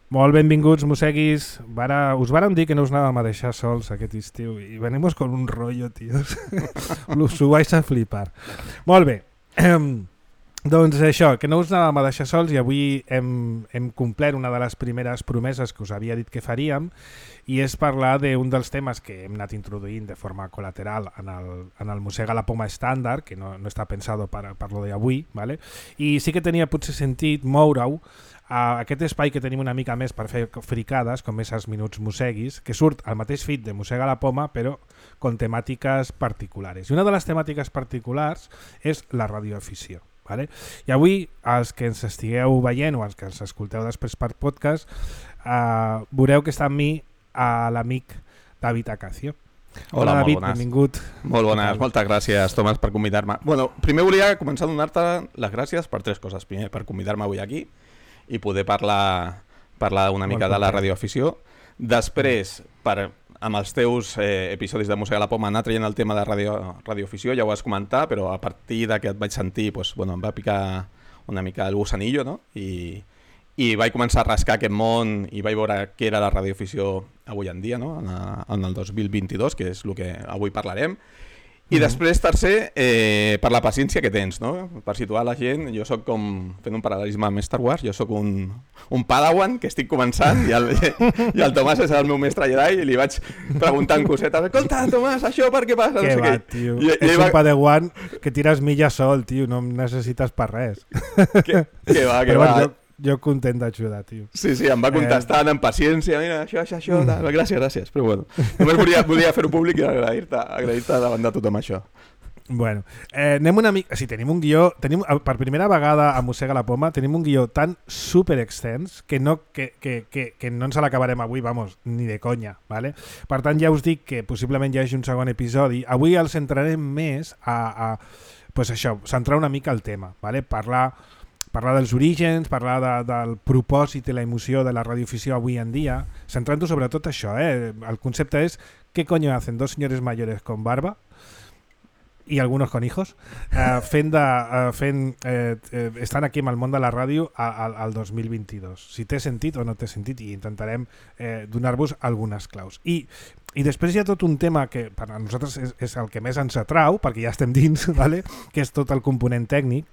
Molt benvinguts, mosseguis. Us vàrem dir que no us anàvem a deixar sols aquest estiu i venimos con un rollo, tios. Us ho vais a flipar. Molt bé. Doncs això, que no us anàvem a deixar sols i avui hem complert una de les primeres promeses que us havia dit que faríem i és parlar d'un dels temes que hem anat introduint de forma col·lateral en el Mossega la Poma estàndard, que no està pensado per lo d'avui, ¿vale? I sí que tenia potser sentit moure-ho a aquest espai que tenim una mica més per fer fricades, com és els Minuts Mosseguis, que surt al mateix feed de Mossega la Poma, però con temàtiques particulars. I una de les temàtiques particulars és la radioafició. Vale? I avui, els que ens estigueu veient o els que ens escolteu després per podcast, veureu que està amb mi l'amic David Acacio. Hola, David, molt bones. Benvingut. Molt bones, moltes gràcies, Tomàs, per convidar-me. Bueno, primer volia començar a donar-te les gràcies per tres coses. Primer, per convidar-me avui aquí i poder parlar una mica de la radioafició. Després, amb els teus episodis de Mossega la Poma, anar traient el tema de radioafició, ja ho vas comentar, però a partir de que et vaig sentir, doncs, bueno, em va picar una mica el gusanillo, no? I vaig començar a rascar aquest món i vaig veure què era la radioafició avui en dia, no? En el 2022, que és el que avui parlarem. I després, tercer, per la paciència que tens, no? Per situar la gent, jo sóc com, fent un paral·lelisme amb Star Wars, jo sóc un padawan que estic començant i el Tomàs és el meu mestre Jedi i li vaig preguntant cosetes. Escolta, Tomàs, això per què passa? Què va, tio? És un padawan que tires milles sol, tio, no em necessites per res. Que va. Jo content d'ajudar, tio. Sí, em va contestant amb paciència, mira, això, gràcies. Però bueno, només volia fer-ho públic i agrair-te davant de tothom això. Bueno, anem una mica... Si tenim un guió... Per primera vegada a Mossega la Poma tenim un guió tan super extens que no ens l'acabarem avui, vamos, ni de conya, ¿vale? Per tant, ja us dic que possiblement hi hagi un segon episodi. Avui el centrarem més pues això, centrar una mica el tema, ¿vale? Parlar dels orígens, parlar del propòsit i la emoció de la radioafició avui en dia, centrant-ho sobretot això, El concepte és ¿qué coño hacen dos señores mayores con barba y algunos con hijos estan aquí amb el món de la ràdio al 2022? Si té sentit o no té sentit, i intentarem donar-vos algunes claus. I després hi ha tot un tema que per a nosaltres és el que més ens atrau, perquè ja estem dins, ¿vale? Que és tot el component tècnic,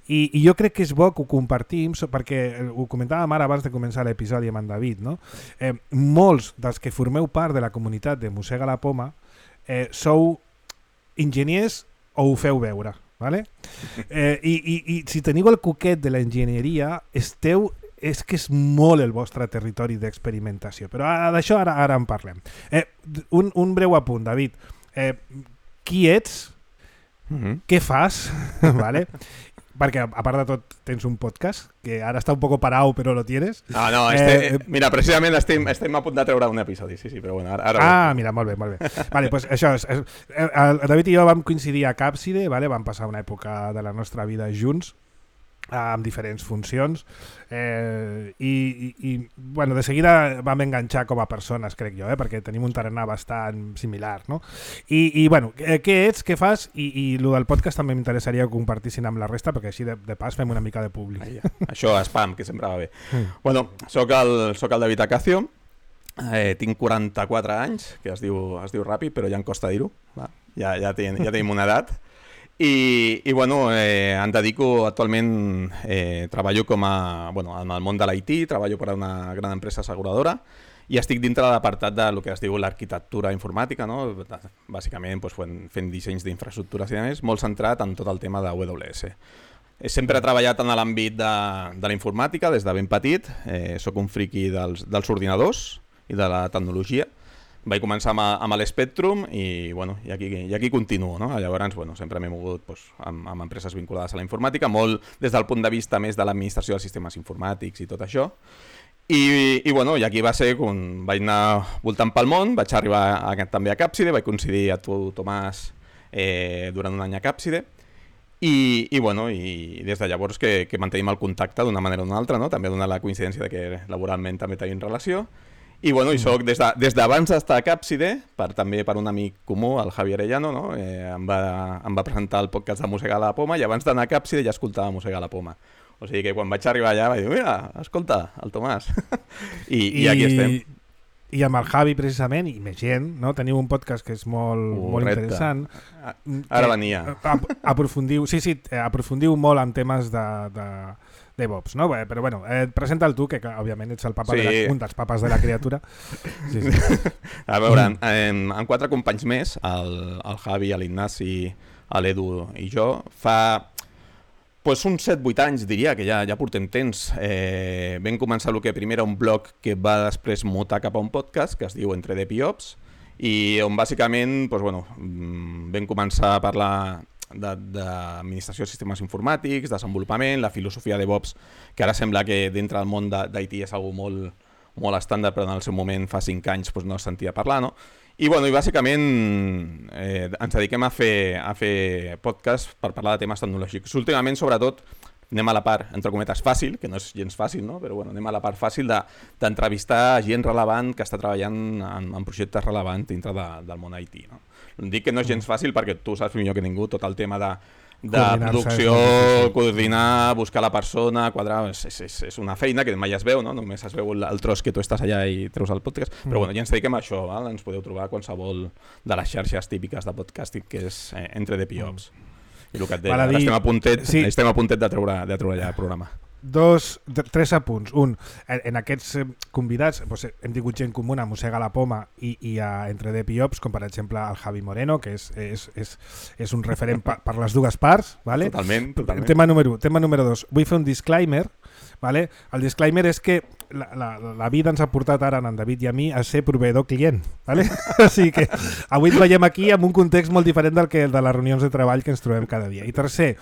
i jo crec que és bo que ho compartim, perquè ho comentàvem ara abans de començar l'episodi amb en David, no? Molts dels que formeu part de la comunitat de Mossega la Poma sou enginyers o ho feu veure, ¿vale? I si teniu el coquet de la enginyeria, és que és molt el vostre territori d'experimentació, però d'això ara en parlem. Un breu apunt, David. Qui ets? Què fas? Vale? Perquè, a part de tot, tens un podcast, que ara està un poc parau, però lo tienes. Mira, precisament estem a punt de treure un episodi, sí, però bueno, ara... Mira, molt bé. Vale, pues això el David i jo vam coincidir a Càpside, vale? Vam passar una època de la nostra vida junts, amb diferents funcions, i bueno, de seguida vam enganxar com a persones, crec jo, perquè tenim un tarannà bastant similar, no? I bueno, què ets, què fas, i el del podcast també m'interessaria que compartissin amb la resta, perquè així de pas fem una mica de públic. Això, spam, que sempre va bé. Bueno, soc el David Acacio, tinc 44 anys, que es diu ràpid, però ja em costa dir-ho, ja tenim una edat. I bueno, em dedico actualment, treballo en el món de l'IT, treballo per a una gran empresa asseguradora i estic dintre de l'apartat de lo que es diu l'arquitectura informàtica, no? Bàsicament fent dissenys d'infraestructures i més, molt centrat en tot el tema d'AWS. Sempre he treballat en l'àmbit de la informàtica des de ben petit, soc un friqui dels ordinadors i de la tecnologia. Vaig començar amb l'Spectrum i aquí continuo, no? Llavors, sempre m'he mogut amb empreses vinculades a la informàtica, molt des del punt de vista més de l'administració dels sistemes informàtics i tot això. I aquí va ser quan vaig anar voltant pel món, vaig arribar també a Càpside, vaig coincidir a tu, Tomàs, durant un any a Càpside, i des de llavors que mantenim el contacte d'una manera o d'una altra, no? També dona la coincidència de que laboralment també tenim relació. I soc des d'abans d'estar a Càpside, també per un amic comú, el Javi Arellano, no? Em va presentar el podcast de Mossega la Poma i abans d'anar a Càpside ja escoltava Mossega la Poma. O sigui que quan vaig arribar allà vaig dir, mira, escolta, el Tomàs. I aquí estem. I amb el Javi, precisament, i més gent, no? Teniu un podcast que és molt interessant. Ara venia. Aprofundiu molt en temes de DevOps, no? Però bueno, presenta'l tu, que òbviament ets el papa un dels papes de la criatura. Sí. A veure, amb 4 companys més, el Javi, l'Ignasi, l'Edu i jo, fa uns 7-8 anys, diria, que ja portem temps. Vam començar el que primer era un blog que va després mutar cap a un podcast que es diu Entre Dev i Ops, i on bàsicament vam començar a parlar d'administració de sistemes informàtics, desenvolupament, la filosofia de DevOps, que ara sembla que dintre del món d'IT és algo molt estàndard, però en el seu moment, fa 5 anys, no es sentia parlar, no? I bàsicament ens dediquem a fer podcast per parlar de temes tecnològics. Últimament, sobretot, anem a la part, entre cometes, fàcil, que no és gens fàcil, no? Però anem a la part fàcil d'entrevistar gent relevant que està treballant en projectes relevants dintre del món IT, no? Dic que no és gens fàcil perquè tu saps millor que ningú tot el tema de producció, coordinar, buscar la persona, quadrar, és una feina que mai es veu, no? Només es veu el tros que tu estàs allà i treus el podcast, però ja ens dediquem a això, val? Ens podeu trobar qualsevol de les xarxes típiques de podcasting, que és Entre Dev i Ops. I el que et deia, estem a puntet de treure allà el programa. 3 apunts. Un, en aquests convidats hem tingut gent comuna, Mossega la Poma i a Entre Dev i Ops, com per exemple el Javi Moreno, que és un referent per les dues parts. Vale? Totalment. Tema número 2. Vull fer un disclaimer. Vale? El disclaimer és que la vida ens ha portat ara en David i a mi a ser proveïdor-client. Vale? O sigui que avui ens veiem aquí amb un context molt diferent del que de les reunions de treball que ens trobem cada dia. I tercer,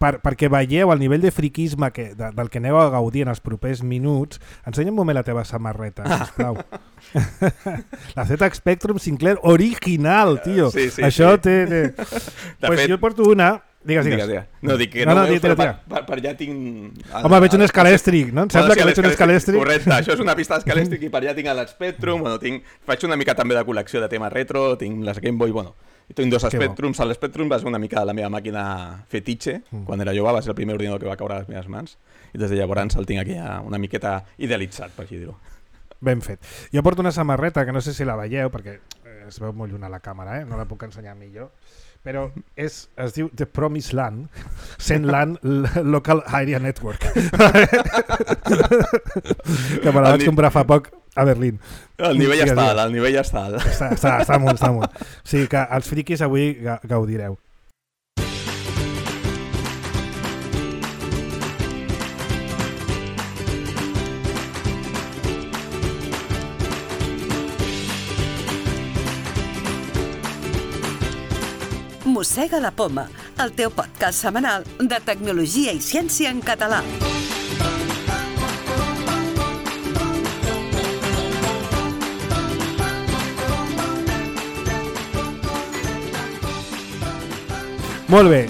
perquè veieu el nivell de friquisme del que aneu a gaudir en els propers minuts, ensenya un moment la teva samarreta, sisplau. La Z Spectrum Sinclair original, tio. Sí, això sí. té... Pues jo porto una... Digues. No, dic que no veus, però per allà tinc... Home, veig un escalèstric, no? Em sembla que veig un escalèstric. Correcte, això és una pista d'escalèstric i per allà tinc l'Spectrum, faig una mica també de col·lecció de temes retro, tinc les Game Boy, tinc 2 Spectrums. L'Spectrum va ser una mica la meva màquina fetitxe, quan era jove, va ser el primer ordinador que va caure a les meves mans, i des de llavors el tinc aquí una miqueta idealitzat, per així dir-ho. Ben fet. Jo porto una samarreta que no sé si la veieu, perquè es veu molt lluny a la càmera, no la puc ensenyar millor, però es diu The Promised Land, Send Land Local Area Network. Que me la vaig comprar fa poc a Berlín. El nivell està alt. Està molt. O sigui que els friquis avui gaudireu. Mossega la Poma, el teu podcast setmanal de tecnologia i ciència en català. Molt bé.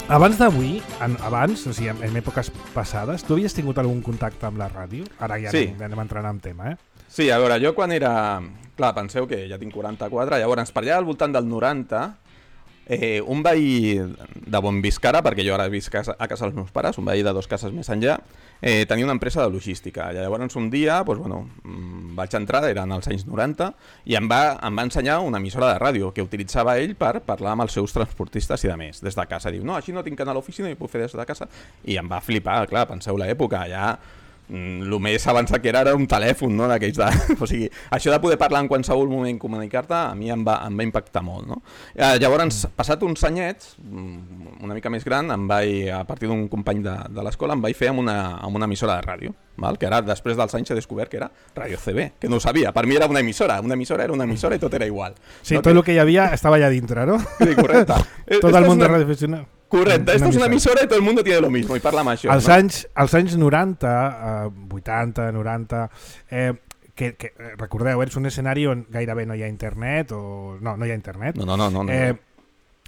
Abans d'avui, o sigui, en èpoques passades, tu havies tingut algun contacte amb la ràdio? Ara ja anem entrant en tema, Sí, a veure, jo quan era... Clar, penseu que ja tinc 44, llavors per allà al voltant del 90, un veí de Bonviscara, perquè jo ara visc a casa dels meus pares, un veí de 2 cases més enllà, tenia una empresa de logística. Llavors un dia vaig entrar, eren als anys 90, i em va ensenyar una emissora de ràdio que utilitzava ell per parlar amb els seus transportistes i de més, des de casa. Diu, no, així no tinc que anar a l'oficina i puc fer des de casa. I em va flipar, clar, penseu l'època, ja... el més avançat que era un telèfon, no? D'aquells de... O sigui, això de poder parlar en qualsevol moment, comunicar-te, a mi em va impactar molt, no? Llavors, passat uns anyets, una mica més gran, a partir d'un company de l'escola, em vaig fer amb una emissora de ràdio, val? Que ara, després dels anys, he descobert que era Radio CB, que no ho sabia. Per mi era una emissora era una emissora i tot era igual. Sí, no? Tot el que hi havia estava allà dintre, no? Sí, correcte. Tot el món de radioaficionat. Correcte, esto es una emisora i tot el mundo tiene lo mismo, i parla amb això. Als anys 90, 80, 90, que recordeu, és un escenari on gairebé no hi ha internet, o no hi ha internet. No.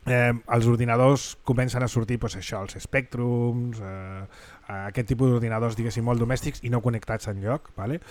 els ordinadors comencen a sortir doncs, això, els Spectrums, aquest tipus d'ordinadors diguéssim molt domèstics i no connectats enlloc, vale?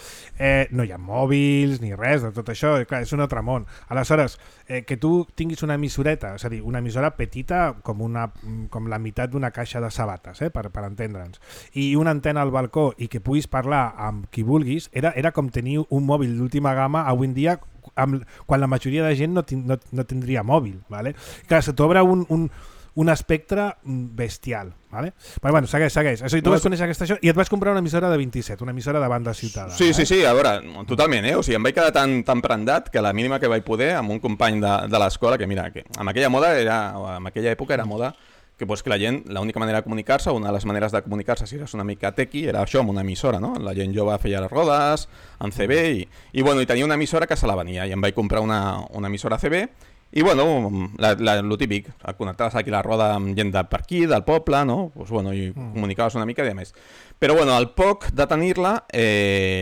No hi ha mòbils ni res de tot això, clar, és un altre món. Aleshores, que tu tinguis una emissoreta, és a dir, una emissora petita com la meitat d'una caixa de sabates, per entendre'ns, i una antena al balcó i que puguis parlar amb qui vulguis, era com tenir un mòbil d'última gamma avui en dia quan la majoria de gent no tindria mòbil, vale? Clar, se t'obre un espectre bestial, vale? Però bueno, segueix. O sigui, tu vas conèixer aquesta això i et vas comprar una emissora de 27, una emissora de banda ciutadana. Sí, a veure, totalment, O sigui, em vaig quedar tan prendat que la mínima que vaig poder amb un company de l'escola, que mira, que en aquella època era moda que la gent, l'única manera de comunicar-se, una de les maneres de comunicar-se si eres una mica tequi, era això, amb una emissora, no? La gent jove feia les rodes, en CB, i tenia una emissora que se la venia, i em vaig comprar una emissora CB, i lo típic, connectaves aquí la roda amb gent per aquí, del poble, no? I comunicaves una mica i més. Però al poc de tenir-la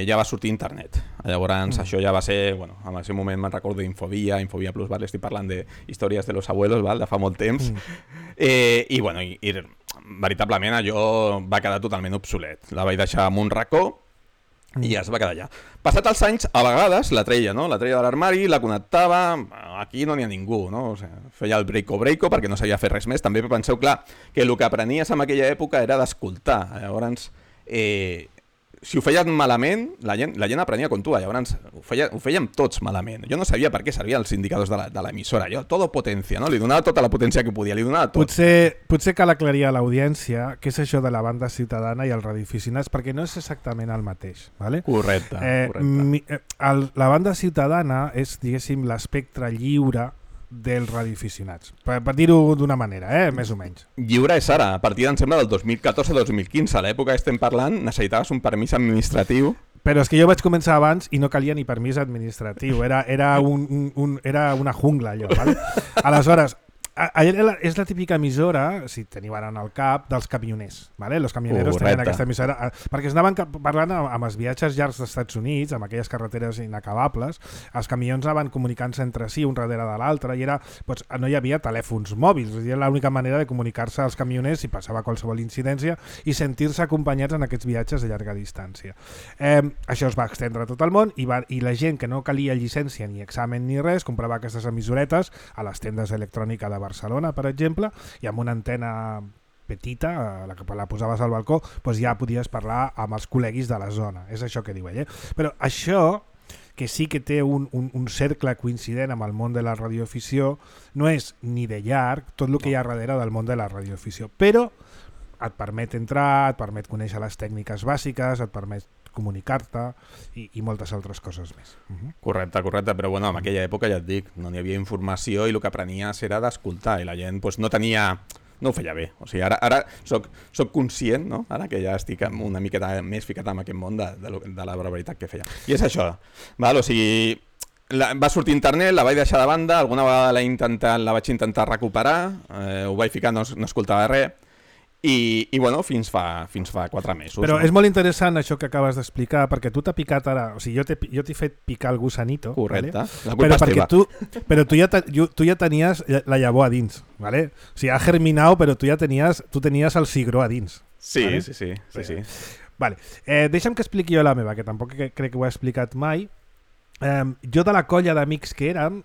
ja va sortir internet. Llavors això ja va ser, en aquell moment me'n recordo d'Infovia Plus, estic parlant d'històries de los abuelos, de fa molt temps, i veritablement allò va quedar totalment obsolet. La vaig deixar en un racó i ja es va quedar allà. Passat els anys, a vegades la treia, no? La treia de l'armari, la connectava, aquí no n'hi ha ningú, no? O sigui, feia el breako perquè no sabia fer res més. També penseu, clar, que el que aprenies en aquella època era d'escoltar. Llavors, si ho feien malament, la gent aprenia com tu. Llavors, ho fèiem tots malament. Jo no sabia per què servien els indicadors de l'emissora. Jo, todo potència, no? Li donava tota la potència que podia, li donava tot. Potser cal aclarir a l'audiència què és això de la banda ciutadana i els radioaficionats, perquè no és exactament el mateix. ¿Vale? Correcte. La banda ciutadana és, diguéssim, l'espectre lliure dels radioaficionats, per dir-ho d'una manera, més o menys. Lliure és ara, a partir em sembla del 2014-2015, a l'època que estem parlant necessitaves un permís administratiu. Però és que jo vaig començar abans i no calia ni permís administratiu, era una jungla allò, ¿vale? Aleshores, és la típica emissora, si teniu ara en el cap, dels camioners, ¿vale? Los camioneros tenien aquesta emissora, perquè es anaven parlant amb els viatges llargs dels Estats Units, amb aquelles carreteres inacabables, els camions anaven comunicant-se entre si, un darrere de l'altre, i no hi havia telèfons mòbils, era l'única manera de comunicar-se als camioners si passava qualsevol incidència i sentir-se acompanyats en aquests viatges de llarga distància. Això es va extendre a tot el món i la gent que no calia llicència ni examen ni res, comprava aquestes emissoretes a les tendes electròniques de Barcelona, per exemple, i amb una antena petita, la posaves al balcó, doncs ja podies parlar amb els col·leguis de la zona. És això que diu ell. Però això, que sí que té un cercle coincident amb el món de la radioafició, no és ni de llarg tot el que hi ha darrere del món de la radioafició. Però et permet entrar, et permet conèixer les tècniques bàsiques, et permet comunicar-te i moltes altres coses més. Correcte, però en aquella època ja et dic, no n'hi havia informació i el que aprenies era d'escoltar i la gent no ho feia bé. O sigui, ara soc conscient, no? Ara que ja estic una miqueta més ficat en aquest món de la barbaritat que feia. I és això, val? O sigui, va sortir internet, la vaig deixar de banda, alguna vegada la vaig intentar recuperar, ho vaig ficar, no escoltava res, i fins fa 4 mesos. Però és molt interessant això que acabes d'explicar, perquè tu t'ha picat ara, o sigui, jo t'he fet picar el gusanito. Correcte, ¿vale? La culpa és teva. Però tu ja tenies la llavor a dins, ¿vale? O sigui, ha germinat, però tu tenies el cigró a dins. Sí, ¿vale? Sí. Vale. Deixa'm que expliqui jo la meva, que tampoc crec que ho he explicat mai. Jo de la colla d'amics que érem,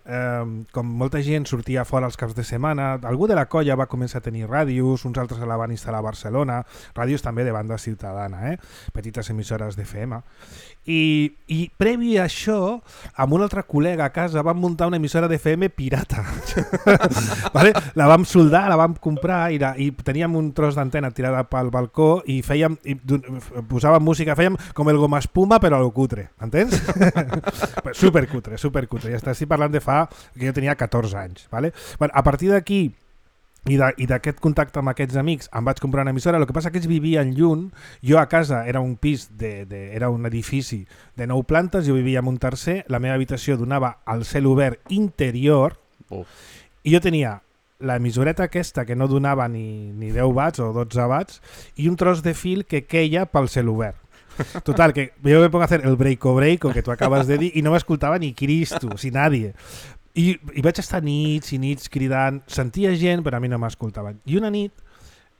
com molta gent sortia fora els caps de setmana, algú de la colla va començar a tenir ràdios, uns altres la van instal·lar a Barcelona, ràdios també de banda ciutadana, petites emissores d'FM, i previ a això, amb un altre col·lega a casa vam muntar una emissora d'FM pirata. ¿Vale? La vam soldar, la vam comprar i teníem un tros d'antena tirada pel balcó i posàvem música, fèiem com el goma espuma però a lo cutre, entens? Supercutre. Ja estic parlant de fa que jo tenia 14 anys. ¿Vale? Bueno, a partir d'aquí i d'aquest contacte amb aquests amics em vaig comprar una emissora. El que passa que ells vivien lluny, jo a casa era un pis, era un edifici de 9 plantes, jo vivia en un tercer, la meva habitació donava al cel obert interior i jo tenia la emissoreta aquesta que no donava ni 10 watts o 12 watts i un tros de fil que queia pel cel obert. Total, que yo me pongo a hacer el breako que tú acabas de decir y no me escuchaba ni Cristo, si nadie. I vaig estar nits i nits cridant, sentia gent però a mi no m'escoltaven. I una nit,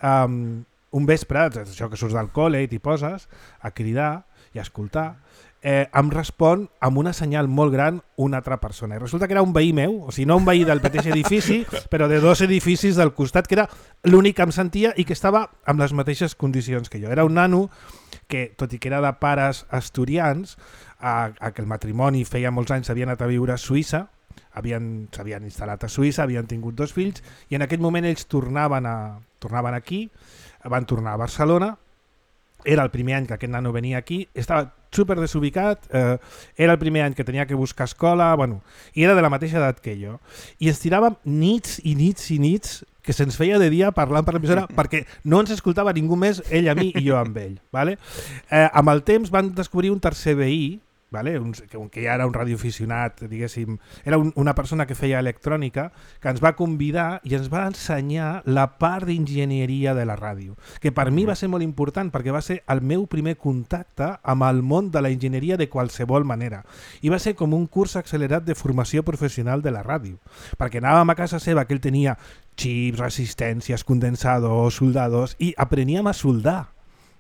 un vespre, això que surts del col·le i t'hi poses a cridar i a escoltar, em respon amb una senyal molt gran una altra persona. I resulta que era un veí meu, o sigui, no un veí del mateix edifici, però de 2 edificis del costat, que era l'únic que em sentia i que estava amb les mateixes condicions que jo. Era un nano que, tot i que era de pares asturians, que el matrimoni feia molts anys havia anat a viure a Suïssa, s'havien instal·lat a Suïssa, havien tingut 2 fills, i en aquell moment ells tornaven aquí, van tornar a Barcelona. Era el primer any que aquest nano venia aquí, estava super desubicat, era el primer any que tenia que buscar escola, bueno, i era de la mateixa edat que jo. I ens tiràvem nits i nits i nits que se'ns feia de dia parlant per l'emissora perquè no ens escoltava ningú més, ell a mi i jo amb ell. Vale? Amb el temps van descobrir un tercer veí, vale? Que ja era un radioaficionat, diguéssim, era una persona que feia electrònica, que ens va convidar i ens va ensenyar la part d'enginyeria de la ràdio, que per mi va ser molt important perquè va ser el meu primer contacte amb el món de la enginyeria de qualsevol manera. I va ser com un curs accelerat de formació professional de la ràdio, perquè anàvem a casa seva, que ell tenia xips, resistències, condensadors, soldadors, i apreníem a soldar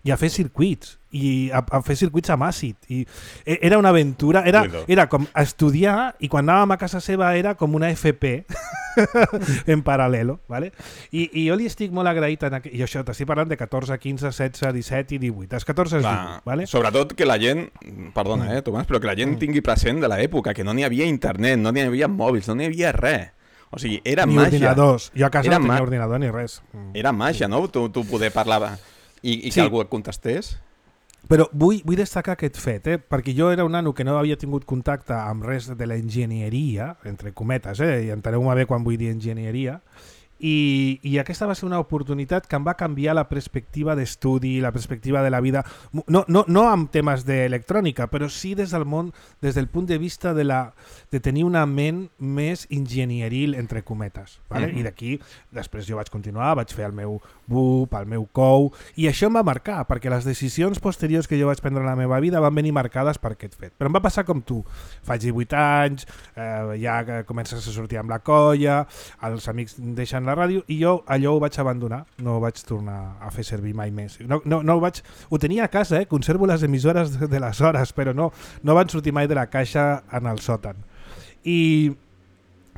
i a fer circuits, i a fer circuits amb àcid. I era una aventura, era com estudiar, i quan anàvem a casa seva era com una FP en paral·lelo. Vale? I jo li estic molt agraït, i això t'estic parlant de 14, 15, 16, 17 i 18. Els 14 és 18. Vale? Sobretot que la gent, perdona, Tomàs, però que la gent tingui present de l'època, que no n'hi havia internet, no n'hi havia mòbils, no n'hi havia res. O sigui, era ni màgia. Ordinadors. Jo a casa no tenia ordinador ni res. Era màgia, no? Tu poder parlar i que algú et contestés. Però vull destacar aquest fet, perquè jo era un nano que no havia tingut contacte amb res de la enginyeria, entre cometes, i enteneu-me bé quan vull dir enginyeria, i aquesta va ser una oportunitat que em va canviar la perspectiva d'estudi, la perspectiva de la vida, no amb temes d'electrònica, però sí des del món, des del punt de vista de tenir una ment més enginyeril, entre cometes. Vale? I d'aquí, després jo vaig continuar, vaig fer el meu BUP, el meu COU, i això em va marcar, perquè les decisions posteriors que jo vaig prendre en la meva vida van venir marcades per aquest fet. Però em va passar com tu. Faig 18 anys, ja comences a sortir amb la colla, els amics deixen la ràdio, i jo allò ho vaig abandonar, no ho vaig tornar a fer servir mai més. Ho tenia a casa, conservo les emissores de les hores, però no van sortir mai de la caixa en el sòtan. I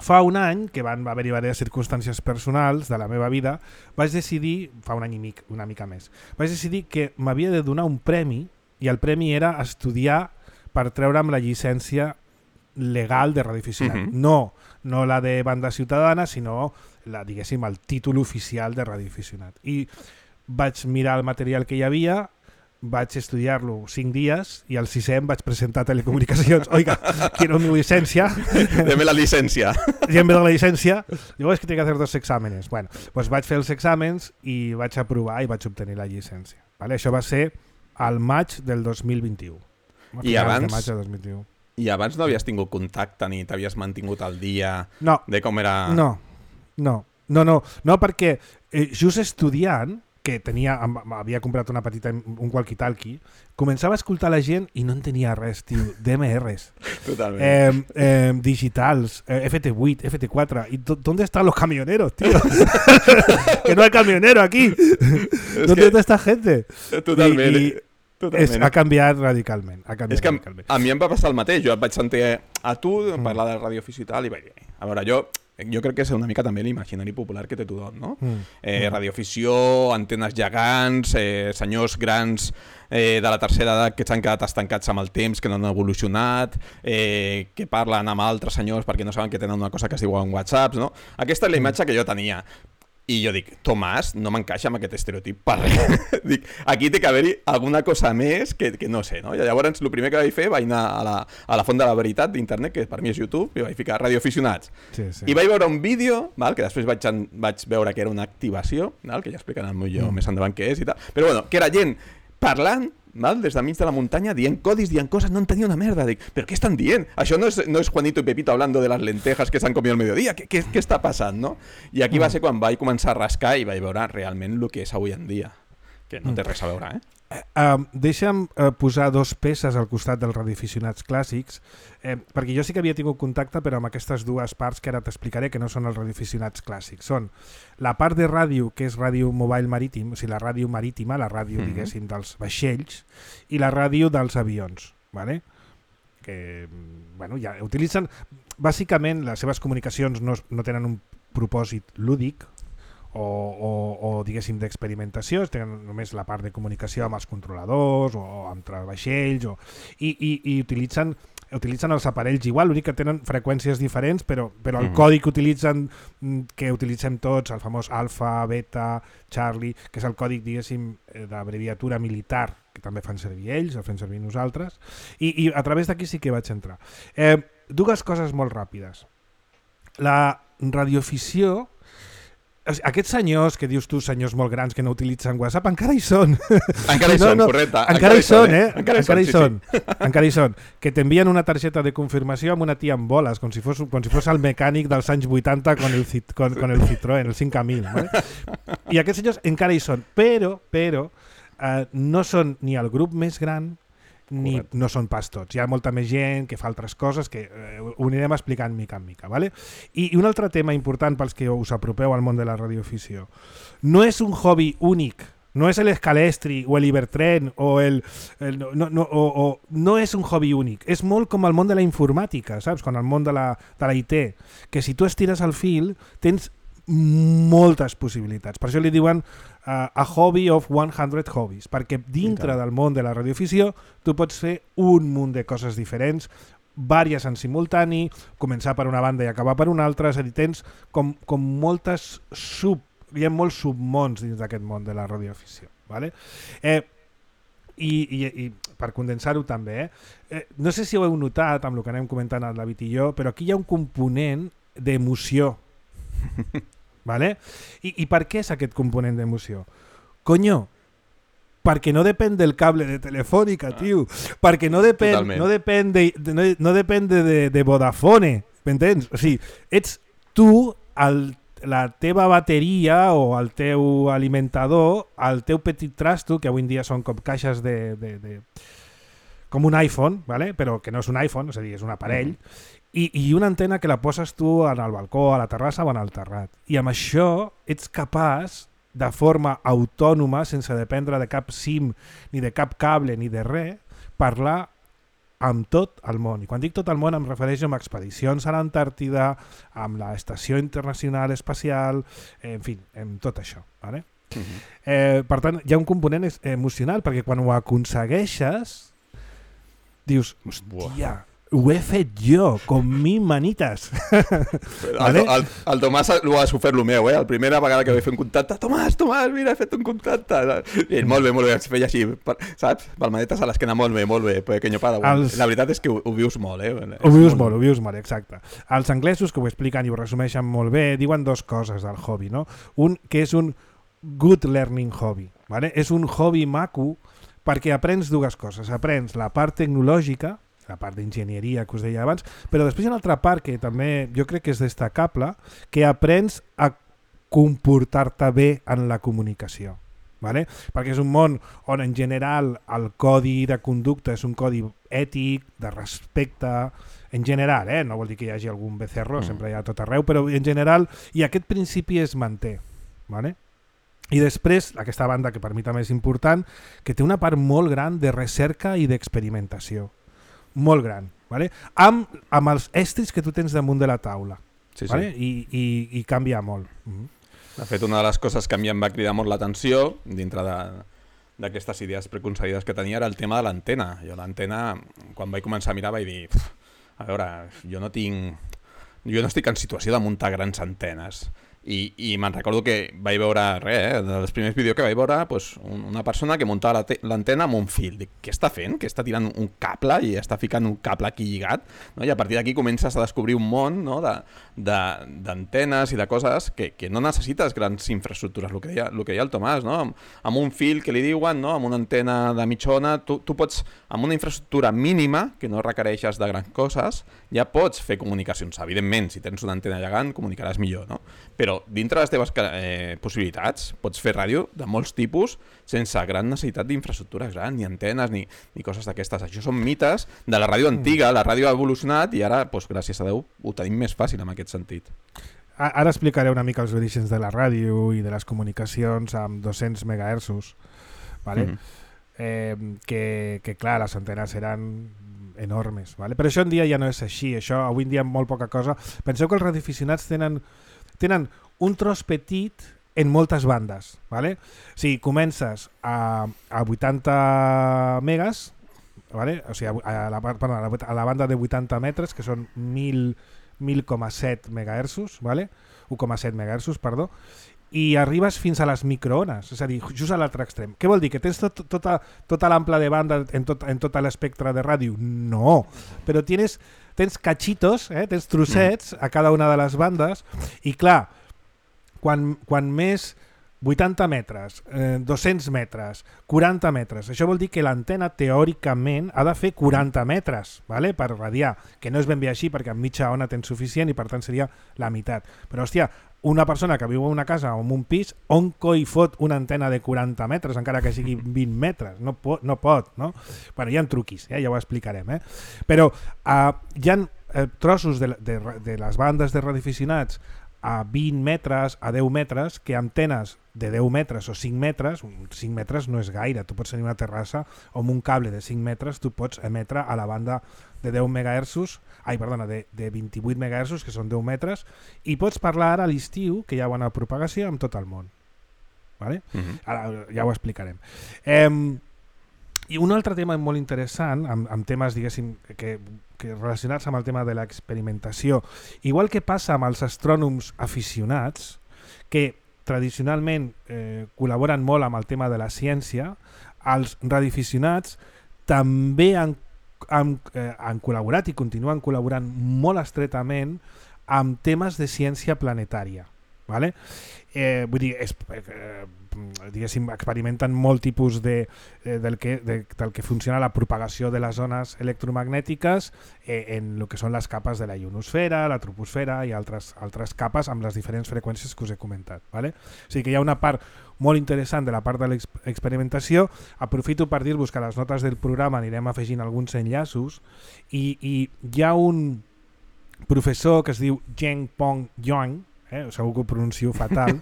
fa un any, que van haver-hi diverses circumstàncies personals de la meva vida, vaig decidir, fa un any i mig, una mica més, vaig decidir que m'havia de donar un premi, i el premi era estudiar per treure'm la llicència legal de radioaficionat. No la de banda ciutadana, sinó diguéssim, el títol oficial de radioaficionat. I vaig mirar el material que hi havia, vaig estudiar-lo 5 dies i al 6è em vaig presentar a Telecomunicacions. Oiga, quiero mi licencia. Deme la licencia. Deme la licencia. Digo, es que tengo que hacer 2 exàmenes. Bueno, pues vaig fer els exàmens i vaig aprovar i vaig obtenir la llicència. Vale? Això va ser al maig del 2021. I abans no havies tingut contacte ni t'havies mantingut al dia de com era... No, perquè just estudiant, que havia comprat un walkie-talkie, començava a escoltar la gent i no entenia res, tio, DMRs. Totalment. Digitals, FT8, FT4, ¿y dónde están los camioneros, tío? Que no hay camionero aquí. ¿Dónde está esta gente? Totalment. Ha canviat radicalment. És que a mi em va passar el mateix. Jo et vaig sentir a tu parlar de radioaficionat i vaig dir, a veure, jo crec que és una mica també l'imaginari popular que té tothom, no? Radioafició, antenes gegants, senyors grans de la tercera edat que s'han quedat estancats amb el temps, que no han evolucionat, que parlen amb altres senyors perquè no saben que tenen una cosa que es diu en WhatsApp, no? Aquesta és la imatge que jo tenia. I jo dic, Tomàs, no m'encaixa amb aquest estereotip per res. Dic, aquí té que haver-hi alguna cosa més que no sé, no? I llavors el primer que vaig fer vaig anar a la font de la veritat d'internet, que per mi és YouTube, i vaig ficar radioaficionats. Sí. I vaig veure un vídeo, que després vaig veure que era una activació, que ja explicaran millor més endavant què és i tal, però bueno, que era gent parlant des de mig de la muntanya, dient codis, dient coses, no entenia una merda. Dic, però què estan dient? Això no és Juanito y Pepito hablando de las lentejas que s'han comido al mediodía. Què està passant, no? I aquí va ser quan vaig començar a rascar i vaig veure realment el que és avui en dia. Que no té res a veure, Deixa'm posar dos peces al costat dels radioaficionats clàssics, perquè jo sí que havia tingut contacte, però amb aquestes dues parts que ara t'explicaré, que no són els radioaficionats clàssics. Són la part de ràdio, que és ràdio mobile marítim, o sigui, la ràdio marítima, la ràdio, diguéssim, dels vaixells, i la ràdio dels avions, ¿vale? Que, bueno, ja utilitzen... Bàsicament, les seves comunicacions no tenen un propòsit lúdic, o diguéssim d'experimentació, tenen només la part de comunicació amb els controladors o entre vaixells i utilitzen els aparells igual, l'únic que tenen freqüències diferents, però el codi que utilitzem tots, el famós alfa, beta, Charlie, que és el còdic, diguéssim, d'abreviatura militar, que també fan servir ells, el fem servir nosaltres, i a través d'aquí sí que vaig entrar. Dues coses molt ràpides. La radioafició, aquests senyors, que dius tu, senyors molt grans que no utilitzen WhatsApp, encara hi són. Encara hi són, correcte. Encara hi són, Encara hi són. Que t'envien una targeta de confirmació amb una tia amb boles, com si fos el mecànic dels anys 80 con el Citroën, el 5000. ¿Vale? I aquests senyors encara hi són, però no són ni el grup més gran, ni no són pas tots. Hi ha molta més gent que fa altres coses que ho anirem explicant mica en mica. ¿Vale? I un altre tema important pels que us apropeu al món de la radioafició. No és un hobby únic, no és l'escalestri o l'Ibertren no és un hobby únic. És molt com el món de la informàtica, saps? Com el món de la IT, que si tu estires el fil tens moltes possibilitats. Per això li diuen a hobby of 100 hobbies, perquè dintre del món de la radioafició tu pots fer un munt de coses diferents, vàries en simultani, començar per una banda i acabar per una altra, és a dir, tens com moltes hi ha molts submons dins d'aquest món de la radioafició. ¿Vale? I per condensar-ho també, no sé si ho heu notat amb el que anem comentant el David i jo, però aquí hi ha un component d'emoció. ¿Vale? I per què és aquest component d'emoció? Coño, perquè no depèn del cable de Telefònica, tio, perquè no depèn de Vodafone, m'entens? O sigui, ets tu, la teva bateria o el teu alimentador, el teu petit trasto, que avui en dia són com caixes com un iPhone, ¿vale? Però que no és un iPhone, és a dir, és un aparell, i una antena que la poses tu al balcó, a la terrassa o en el terrat. I amb això ets capaç, de forma autònoma, sense dependre de cap SIM, ni de cap cable, ni de res, parlar amb tot el món. I quan dic tot el món em refereixo a expedicions a l'Antàrtida, amb l'Estació Internacional Espacial, en fi, amb tot això. ¿Vale? Per tant, hi ha un component emocional, perquè quan ho aconsegueixes, dius, hòstia, ho he fet jo, con mis manitas. ¿Vale? El Tomàs ho ha sofert el meu, la primera vegada que vaig fer un contacte, Tomàs, mira, he fet un contacte. I molt bé, es feia així, saps? Palmadetes a l'esquena, molt bé, pequeño Padawan. La veritat és que ho vius molt, Ho vius molt, exacte. Els anglesos, que ho expliquen i ho resumeixen molt bé, diuen dues coses del hobby, no? Un, que és un good learning hobby, ¿vale? És un hobby maco perquè aprens dues coses. Aprens la part tecnològica, la part d'enginyeria que us deia abans, però després hi ha una altra part que també jo crec que és destacable, que aprens a comportar-te bé en la comunicació. ¿Vale? Perquè és un món on en general el codi de conducta és un codi ètic, de respecte, en general, no vol dir que hi hagi algun becerro, sempre hi ha tot arreu, però en general, i aquest principi es manté. ¿Vale? I després, aquesta banda, que per mi també és important, que té una part molt gran de recerca i d'experimentació. Molt gran, ¿vale? amb els estris que tu tens damunt de la taula. Sí, ¿vale? I canvia molt. De fet, una de les coses que a mi em va cridar molt l'atenció dintre d'aquestes idees preconcebides que tenia era el tema de l'antena. Jo l'antena, quan vaig començar a mirar, vaig dir, a veure, jo no estic en situació de muntar grans antenes. I me'n recordo que vaig veure dels primers vídeos que vaig veure, pues, una persona que muntava l'antena amb un fil. Dic, què està fent? Que està tirant un cable i està ficant un cable aquí lligat, no? I a partir d'aquí comences a descobrir un món, no? d'antenes i de coses que no necessites grans infraestructures, el que deia el Tomàs, no? Amb un fil que li diuen, no? Amb una antena de mitja ona, tu pots, amb una infraestructura mínima, que no requereixes de grans coses, ja pots fer comunicacions. Evidentment, si tens una antena gegant, comunicaràs millor, no? Però però dintre de les teves possibilitats pots fer ràdio de molts tipus sense gran necessitat d'infraestructura gran, ni antenes, ni coses d'aquestes. Això són mites de la ràdio antiga, la ràdio ha evolucionat i ara, doncs, gràcies a Déu, ho tenim més fàcil en aquest sentit. Ara explicaré una mica els orígens de la ràdio i de les comunicacions amb 200 MHz, ¿vale? Que clar, les antenes eren enormes, ¿vale? Però això en dia ja no és així, això avui en dia molt poca cosa. Penseu que els radioaficionats tenen un tros petit en moltes bandes, ¿vale? Si comences a 80 megas, ¿vale? O sigui, a la banda de 80 metres, que són 1.000,7 MHz, ¿vale? 1,7 MHz, perdó, i arribes fins a les microones, és a dir, just a l'altre extrem. Què vol dir? Que tens tota l'ample de banda en tot l'espectre de ràdio? No, però tens cachitos, tens trossets a cada una de les bandes, i clar, quan més 80 metres, 200 metres, 40 metres, això vol dir que l'antena teòricament ha de fer 40 metres, ¿vale? Per radiar, que no és ben bé així perquè amb mitja ona tens suficient i per tant seria la meitat. Però hòstia, una persona que viu en una casa o en un pis, on coi fot una antena de 40 metres, encara que sigui 20 metres? No pot, no? Bueno, hi ha truquis, ja ho explicarem, Però hi ha trossos de les bandes de radioaficionats a 20 metres, a 10 metres, que antenes de 10 metres o 5 metres, 5 metres no és gaire, tu pots tenir una terrassa o amb un cable de 5 metres tu pots emetre a la banda de 10 MHz, de 28 MHz, que són 10 metres, i pots parlar ara a l'estiu, que hi ha bona propagació amb tot el món. ¿Vale? Ara ja ho explicarem. I un altre tema molt interessant, amb temes, diguéssim, que relacionats amb el tema de l'experimentació, igual que passa amb els astrònoms aficionats, que tradicionalment col·laboren molt amb el tema de la ciència, els radioaficionats també han col·laborat i continuen col·laborant molt estretament amb temes de ciència planetària. ¿Vale? Vull dir, diguéssim, experimenten molt tipus del que funciona la propagació de les ones electromagnètiques en el que són les capes de la ionosfera, la troposfera i altres capes amb les diferents freqüències que us he comentat. ¿Vale? O sigui que hi ha una part molt interessant de la part de l'experimentació. Aprofito per dir-vos que a les notes del programa anirem afegint alguns enllaços i hi ha un professor que es diu Zheng Peng Yuan, segur que ho pronuncio fatal,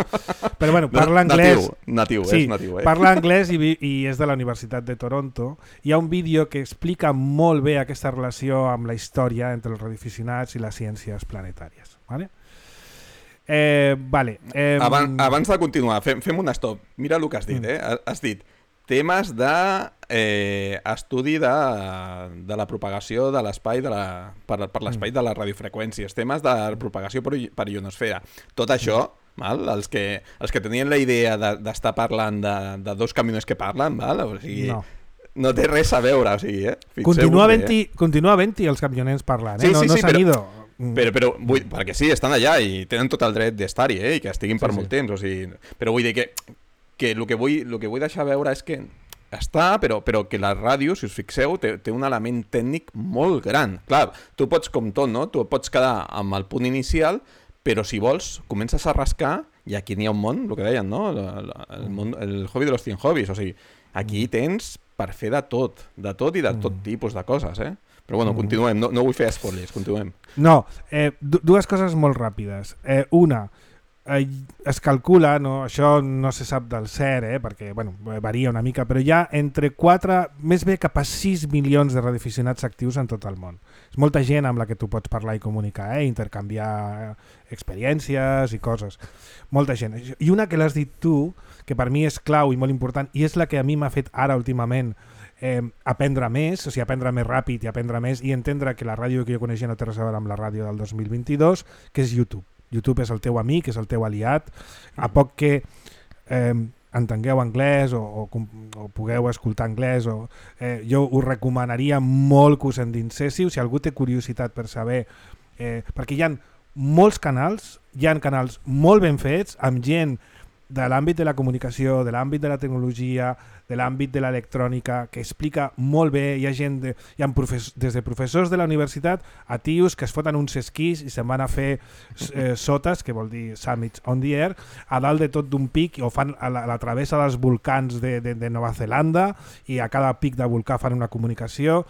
però bueno, parla anglès. Natiu, sí, és natiu. Parla anglès i és de la Universitat de Toronto. Hi ha un vídeo que explica molt bé aquesta relació amb la història entre els radioaficionats i les ciències planetàries. Vale? Abans de continuar, fem un stop. Mira el que has dit. Has dit temes d'estudi de la propagació de l'espai per l'espai de les radiofreqüències, temes de propagació per ionosfera. Tot això, els que tenien la idea d'estar parlant de dos camioners que parlen, o sigui, no té res a veure. O sigui, continua havent-hi els camioners parlant, no s'han ido. Però perquè sí, estan allà i tenen tot el dret d'estar-hi, i que estiguin per molt temps. O sigui, però vull dir que el que vull deixar veure és que està, però que la ràdio, si us fixeu, té un element tècnic molt gran. Clar, tu pots, com tot, no? Tu pots quedar amb el punt inicial, però si vols, comences a rascar i aquí n'hi ha un món, el que deien, no? El hobby de los 100 hobbies. O sigui, aquí tens per fer de tot i de tot tipus de coses, Però bueno, continuem, no vull fer spoilers, continuem. No, dues coses molt ràpides. Una, es calcula, això no se sap del cert, perquè varia una mica, però hi ha entre 4, més bé cap a 6 milions de radioaficionats actius en tot el món. És molta gent amb la que tu pots parlar i comunicar, intercanviar experiències i coses. Molta gent. I una que l'has dit tu, que per mi és clau i molt important, i és la que a mi m'ha fet ara últimament aprendre més, o sigui, aprendre més ràpid i aprendre més i entendre que la ràdio que jo coneixia no té res a veure amb la ràdio del 2022, que és YouTube. YouTube és el teu amic, és el teu aliat. A poc que entengueu anglès o pugueu escoltar anglès, jo us recomanaria molt que us endinséssiu, si algú té curiositat per saber, perquè hi ha molts canals, hi ha canals molt ben fets, amb gent de l'àmbit de la comunicació, de l'àmbit de la tecnologia, de l'àmbit de l'electrònica, que explica molt bé. Hi ha gent, hi ha des de professors de la universitat a tios que es foten uns esquís i se'n van a fer sotes, que vol dir summits on the air, a dalt de tot d'un pic, o fan la travessa dels volcans de Nova Zelanda, i a cada pic de volcà fan una comunicació.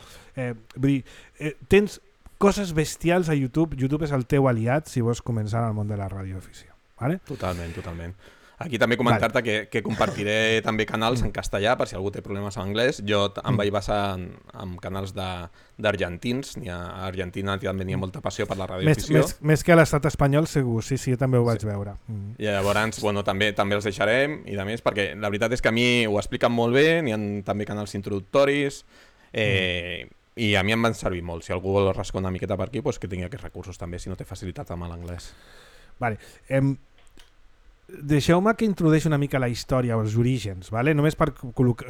Vull dir, tens coses bestials a YouTube. YouTube és el teu aliat si vols començar en el món de la radioafició. ¿Vale? Totalment. Aquí també comentar-te que compartiré també canals en castellà per si algú té problemes en anglès. Jo em vaig basar en canals d'argentins. A Argentina també n'hi ha molta passió per la radioafició. Més que a l'estat espanyol, segur. Sí, jo també ho vaig veure. I llavors, també els deixarem, i de més, perquè la veritat és que a mi ho expliquen molt bé. N'hi ha també canals introductoris, i a mi em van servir molt. Si algú vol rascar una miqueta per aquí, que tingui aquests recursos també, si no té facilitat amb l'anglès. Vale. Deixeu-me que introdueixi una mica la història, els orígens, vale? Només per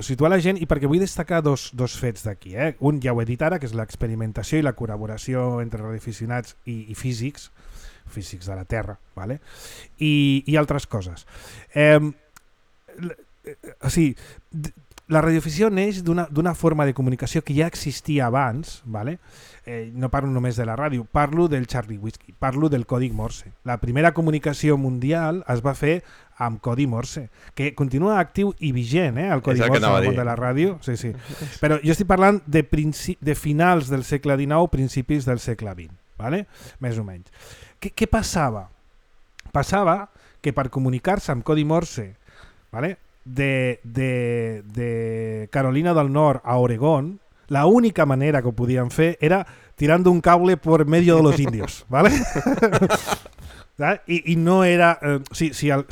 situar la gent i perquè vull destacar dos fets d'aquí. Un ja ho he dit ara, que és l'experimentació i la col·laboració entre radioaficionats i físics de la Terra, vale? I altres coses. La radioafició neix d'una forma de comunicació que ja existia abans, vale? No parlo només de la ràdio, parlo del Charlie Whiskey, parlo del codi Morse. La primera comunicació mundial es va fer amb codi Morse, que continua actiu i vigent, el codi Morse al món de la ràdio. Sí. Però jo estic parlant de finals del segle XIX, principis del segle XX, vale? Més o menys. Què passava? Passava que per comunicar-se amb codi Morse, vale, de Carolina del Nord a Oregón, la única manera que ho podien fer era tirando un cable por medio de los indios, ¿vale? I no era... Si el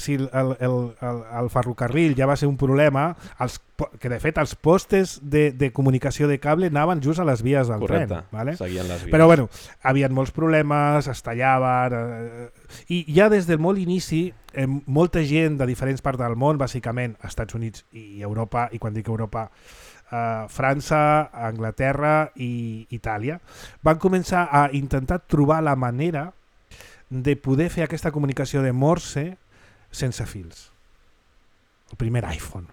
ferrocarril ja va ser un problema, que de fet els postes de comunicació de cable anaven just a les vies del tren. ¿Vale? Seguien les vies. Però bueno, havien molts problemes, es tallaven... I ja des del molt inici, molta gent de diferents parts del món, bàsicament Estats Units i Europa, i quan dic Europa... França, Anglaterra i Itàlia, van començar a intentar trobar la manera de poder fer aquesta comunicació de Morse sense fils. El primer iPhone.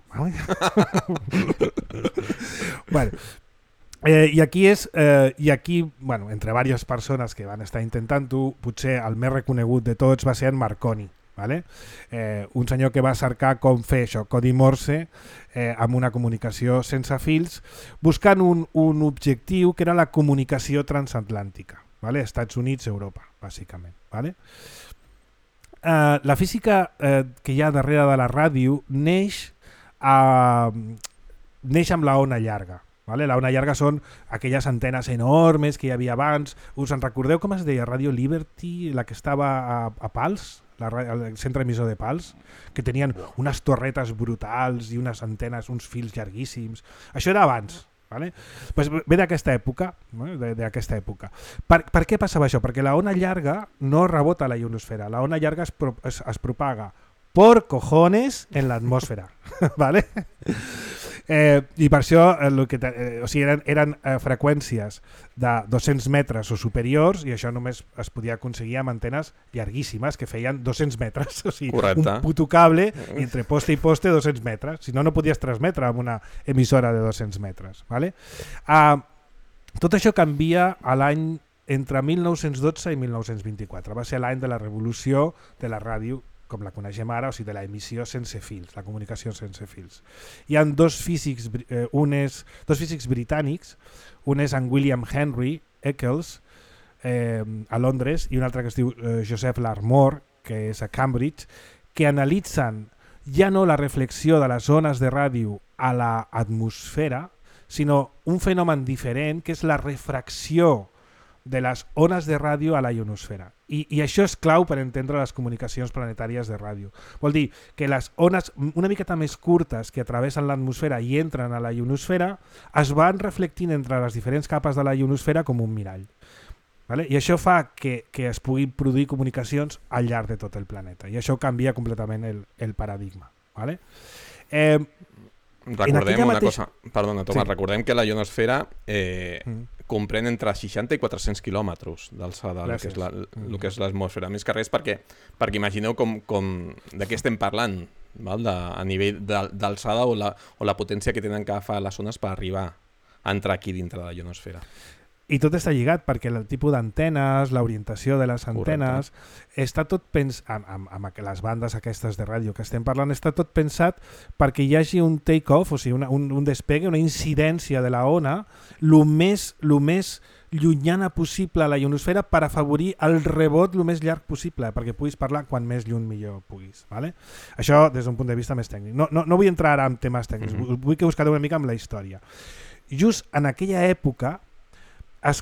Bueno, i aquí, entre diverses persones que van estar intentant-ho, potser el més reconegut de tots va ser en Marconi. Vale? Un senyor que va cercar com fer això, codi Morse, amb una comunicació sense fils, buscant un objectiu que era la comunicació transatlàntica, vale? Estats Units, Europa, bàsicament. Vale? La física que hi ha darrere de la ràdio neix amb la ona llarga. Vale? La ona llarga són aquelles antenes enormes que hi havia abans. Us en recordeu com es deia? Radio Liberty, la que estava a Pals? El centre emissor de Pals, que tenien unes torretes brutals i unes antenes, uns fils llarguíssims. Això era abans. Vale? Pues ve d'aquesta època. Per què passava això? Perquè la ona llarga no rebota a la ionosfera. La ona llarga es propaga por cojones en l'atmosfera. ¿Vale? I per això eren freqüències de 200 metres o superiors, i això només es podia aconseguir amb antenes llarguíssimes que feien 200 metres, o sigui, correcte. Un puto cable i entre poste i poste 200 metres, si no, no podies transmetre amb una emissora de 200 metres. Vale? Tot això canvia a l'any entre 1912 i 1924, va ser l'any de la revolució de la ràdio com la coneixem ara, o sigui, de la emissió sense fils, la comunicació sense fils. Hi ha dos físics britànics, un és en William Henry Eccles a Londres i un altre que es diu Joseph Larmor, que és a Cambridge, que analitzen ja no la reflexió de les ones de ràdio a l'atmosfera, sinó un fenomen diferent, que és la refracció de les ones de ràdio a la ionosfera. I això és clau per entendre les comunicacions planetàries de ràdio. Vol dir que les ones una miqueta més curtes que travessen l'atmosfera i entren a la ionosfera es van reflectint entre les diferents capes de la ionosfera com un mirall. Vale? I això fa que es puguin produir comunicacions al llarg de tot el planeta. I això canvia completament el paradigma. Vale? Recordem una cosa, perdona Tomàs, recordem que la ionosfera comprèn entre 60 i 400 quilòmetres d'alçada, el que és l'atmosfera. Més que res perquè imagineu de què estem parlant. val? A nivell d'alçada o la potència que tenen que agafar les ones per arribar a entrar aquí dintre de la ionosfera. I tot està lligat perquè el tipus d'antenes, l'orientació de les antenes, està tot amb les bandes aquestes de ràdio que estem parlant, està tot pensat perquè hi hagi un take-off, o sigui, un despegue, una incidència de la ona, el més llunyana possible a la ionosfera per afavorir el rebot el més llarg possible, perquè puguis parlar quan més lluny millor puguis. Vale? Això des d'un punt de vista més tècnic. No vull entrar ara en temes tècnics, vull que us quedeu una mica amb la història. Just en aquella època es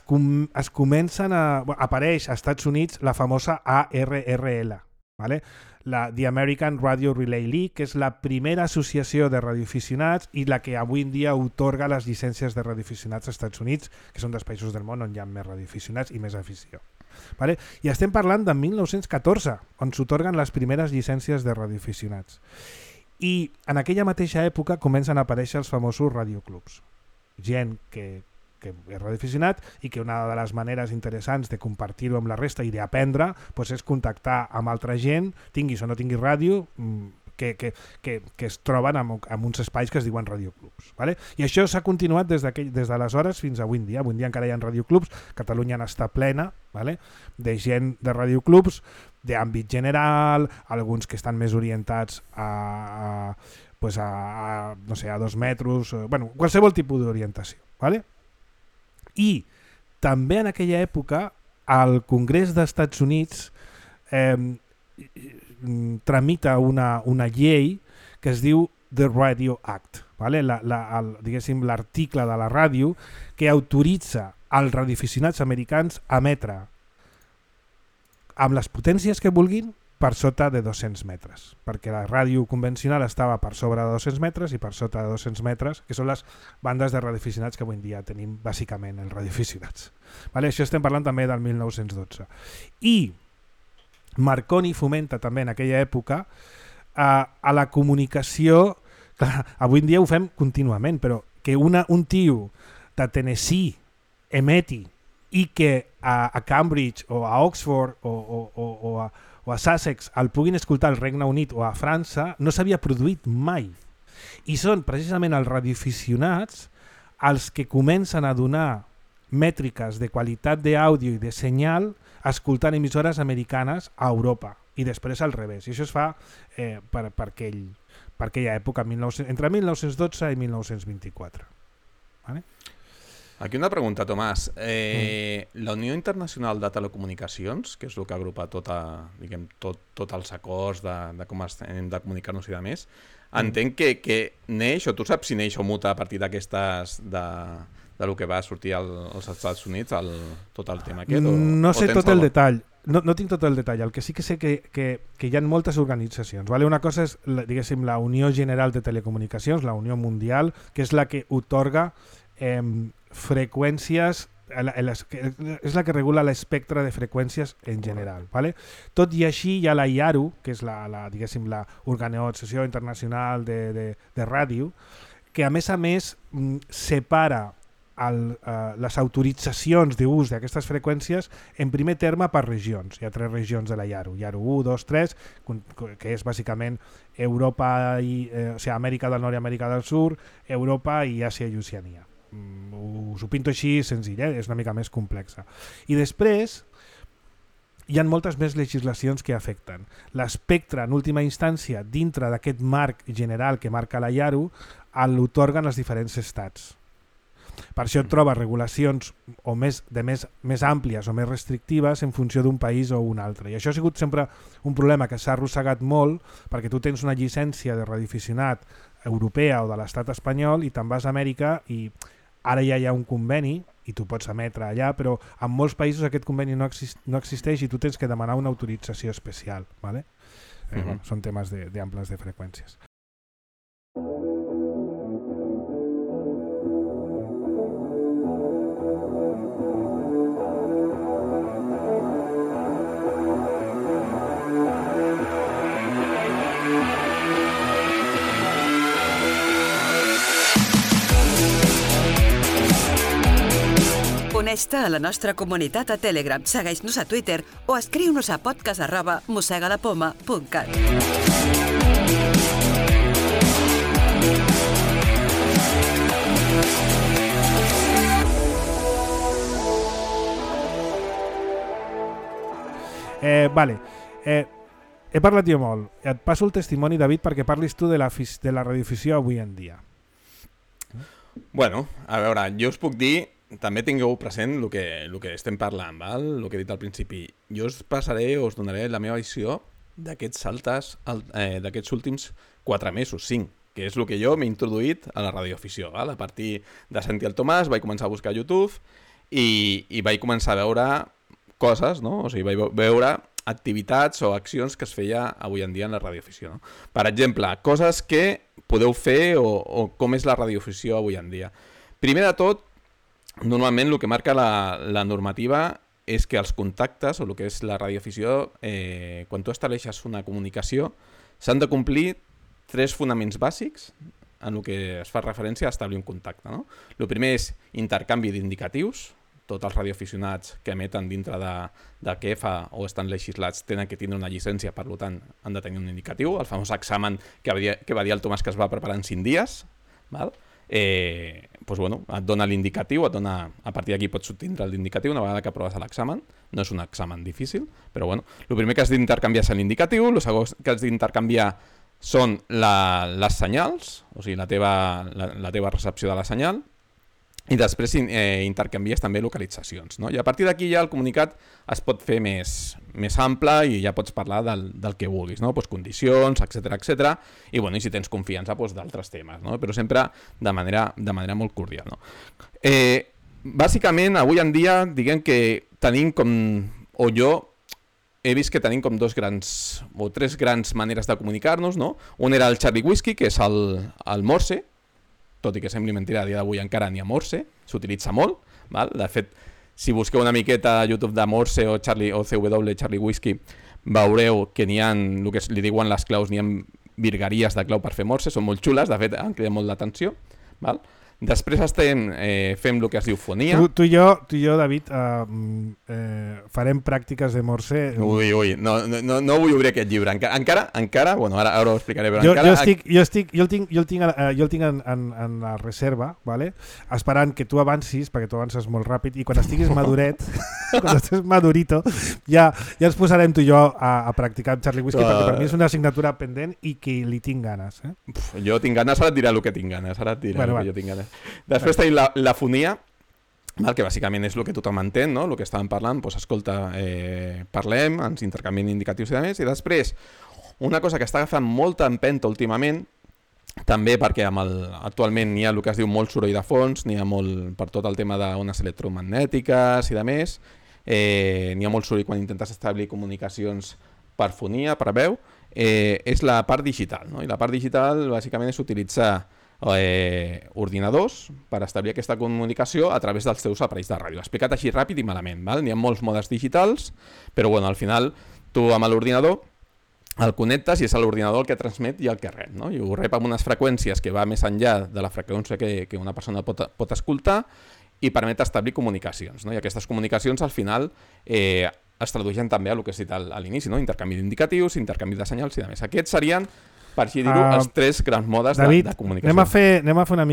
comencen apareix als Estats Units la famosa ARRL, ¿vale? The American Radio Relay League, que és la primera associació de radioaficionats i la que avui en dia otorga les llicències de radioaficionats als Estats Units, que són dels països del món on hi ha més radioaficionats i més afició. ¿Vale? I estem parlant de 1914, on s'otorguen les primeres llicències de radioaficionats. I en aquella mateixa època comencen a aparèixer els famosos radioclubs. Gent que és radioaficionat i que una de les maneres interessants de compartir-ho amb la resta i d'aprendre és contactar amb altra gent, tinguis o no tinguis ràdio, que es troben en uns espais que es diuen radioclubs. ¿Vale? I això s'ha continuat des d'aleshores fins avui en dia. Avui en dia encara hi ha radioclubs, Catalunya n'està plena, ¿vale? De gent de radioclubs d'àmbit general, alguns que estan més orientats a 2 metres, qualsevol tipus d'orientació. ¿Vale? I també en aquella època el Congrés dels Estats Units tramita una llei que es diu The Radio Act, ¿vale? L'article de la ràdio que autoritza als radioaficionats americans a emetre amb les potències que vulguin per sota de 200 metres, perquè la ràdio convencional estava per sobre de 200 metres i per sota de 200 metres, que són les bandes de radioaficionats que avui en dia tenim bàsicament els radioaficionats. Vale? Això estem parlant també del 1912. I Marconi fomenta també en aquella època a la comunicació, clar, avui en dia ho fem contínuament, però que un tio de Tennessee emeti i que a Cambridge o a Oxford o a Sussex el puguin escoltar al Regne Unit o a França no s'havia produït mai. I són precisament els radioaficionats els que comencen a donar mètriques de qualitat d'àudio i de senyal escoltant emissores americanes a Europa i després al revés. I això es fa per aquella època, entre 1912 i 1924. ¿Vale? Aquí una pregunta, Tomàs. La Unió Internacional de Telecomunicacions, que és el que agrupa tots els acords de com hem de comunicar-nos i de més, entenc que neix, o tu saps si neix o muta a partir d'aquestes del que va sortir als Estats Units, tot el tema aquest? No sé tot el detall. No tinc tot el detall. El que sí que sé que hi ha moltes organitzacions. ¿Vale? Una cosa és, diguéssim, la Unió General de Telecomunicacions, la Unió Mundial, que és la que otorga freqüències, és la que regula l'espectre de freqüències en general. ¿Vale? Tot i així hi ha la IARU, que és l'Organització Internacional de Ràdio, que a més separa les autoritzacions d'ús d'aquestes freqüències en primer terme per regions. Hi ha 3 regions de la IARU, IARU 1, 2, 3, que és bàsicament Europa Amèrica del Nord i Amèrica del Sud, Europa i Àsia i Oceania. Us ho pinto així senzill, és una mica més complexa. I després hi ha moltes més legislacions que afecten. L'espectre, en última instància, dintre d'aquest marc general que marca la IARU, l'otorguen els diferents estats. Per això et trobes regulacions més àmplies o més restrictives en funció d'un país o un altre. I això ha sigut sempre un problema que s'ha arrossegat molt, perquè tu tens una llicència de radioaficionat europea o de l'estat espanyol i te'n vas a Amèrica i ara ja hi ha un conveni i tu pots emetre allà, però en molts països aquest conveni no existeix i tu tens que demanar una autorització especial. ¿Vale? Són temes d'amples de freqüències. Uneix-te a la nostra comunitat a Telegram, segueix-nos a Twitter o escriu-nos a podcast@mossegalapoma.cat. Vale. He parlat jo molt. Et passo el testimoni, David, perquè parlis tu de la radioafició avui en dia. Bueno, a veure, jo us puc dir, també tingueu present el que estem parlant, val? El que he dit al principi. Jo us donaré la meva visió d'aquests saltes, d'aquests últims 4 mesos, 5, que és el que jo m'he introduït a la radioafició. Val? A partir de sentir el Tomàs vaig començar a buscar a YouTube i vaig començar a veure coses, no? O sigui, vaig veure activitats o accions que es feia avui en dia en la radioafició. No? Per exemple, coses que podeu fer o com és la radioafició avui en dia. Primer de tot, normalment el que marca la normativa és que els contactes o el que és la radioafició, quan tu estableixes una comunicació, s'han de complir 3 fonaments bàsics en el que es fa referència a establir un contacte. No? El primer és intercanvi d'indicatius. Tots els radioaficionats que emeten dintre de QEFA o estan legislats tenen que tindre una llicència, per tant han de tenir un indicatiu, el famós examen que va dir el Tomàs que es va preparar en 5 dies. Val? Doncs, bueno, et dona l'indicatiu, a partir d'aquí pots obtindre l'indicatiu una vegada que aproves l'examen. No és un examen difícil, però bueno, el primer que has d'intercanviar és l'indicatiu, el segon que has d'intercanviar són les senyals, o sigui, la teva recepció de la senyal, i després intercanvies també localitzacions. No? I a partir d'aquí ja el comunicat es pot fer més ample i ja pots parlar del que vulguis, no? Pues condicions, etc. I, bueno, i si tens confiança, pues, d'altres temes, no? Però sempre de manera molt cordial. No? Bàsicament, avui en dia, diguem que tenim o jo he vist que tenim com 3 grans maneres de comunicar-nos. No? Un era el Charlie Whiskey, que és el Morse, tot i que sembli mentida, a dia d'avui encara n'hi ha Morse, s'utilitza molt. Val? De fet, si busqueu una miqueta a YouTube de Morse o CW Charlie Whiskey, veureu que n'hi ha, el que li diuen les claus, n'hi ha virgueries de clau per fer Morse, són molt xules, de fet, han cridat molt l'atenció. Després fem el que es diu fonia. Tu i jo, David, farem pràctiques de Morse. Ui, no vull obrir aquest llibre. Encara, bueno, ara ho explicaré, però jo encara... Jo el tinc en la reserva, vale? Esperant que tu avancis, perquè tu avances molt ràpid, i quan estiguis maduret, quan estiguis madurito, ja ens posarem tu i jo a practicar amb Charlie Whiskey, perquè per mi és una assignatura pendent i que li tinc ganes. Jo tinc ganes, ara et diré el que tinc ganes. Que jo tinc ganes. Després tenim la fonia, que bàsicament és el que tothom entén, no? El que estàvem parlant, doncs escolta, parlem, ens intercanviem indicatius i demés, i després una cosa que està agafant molta empenta últimament, també perquè actualment n'hi ha el que es diu molt soroll de fons, n'hi ha molt per tot el tema d'ones electromagnètiques i demés, n'hi ha molt soroll quan intentes establir comunicacions per fonia, per veu, és la part digital, no? I la part digital bàsicament és utilitzar ordinadors per establir aquesta comunicació a través dels teus aparells de ràdio. Explicat així ràpid i malament, val? N'hi ha molts modes digitals, però bueno, al final tu amb l'ordinador el connectes i és l'ordinador el que transmet i el que rep, no? I ho rep amb unes freqüències que va més enllà de la freqüència que una persona pot escoltar i permet establir comunicacions, no? I aquestes comunicacions al final es tradueixen també a el que has dit a l'inici, no? Intercanvi d'indicatius, intercanvi de senyals i demés. Aquests serien, per així dir-ho, els 3 grans modes David, de comunicació. Anem a fer una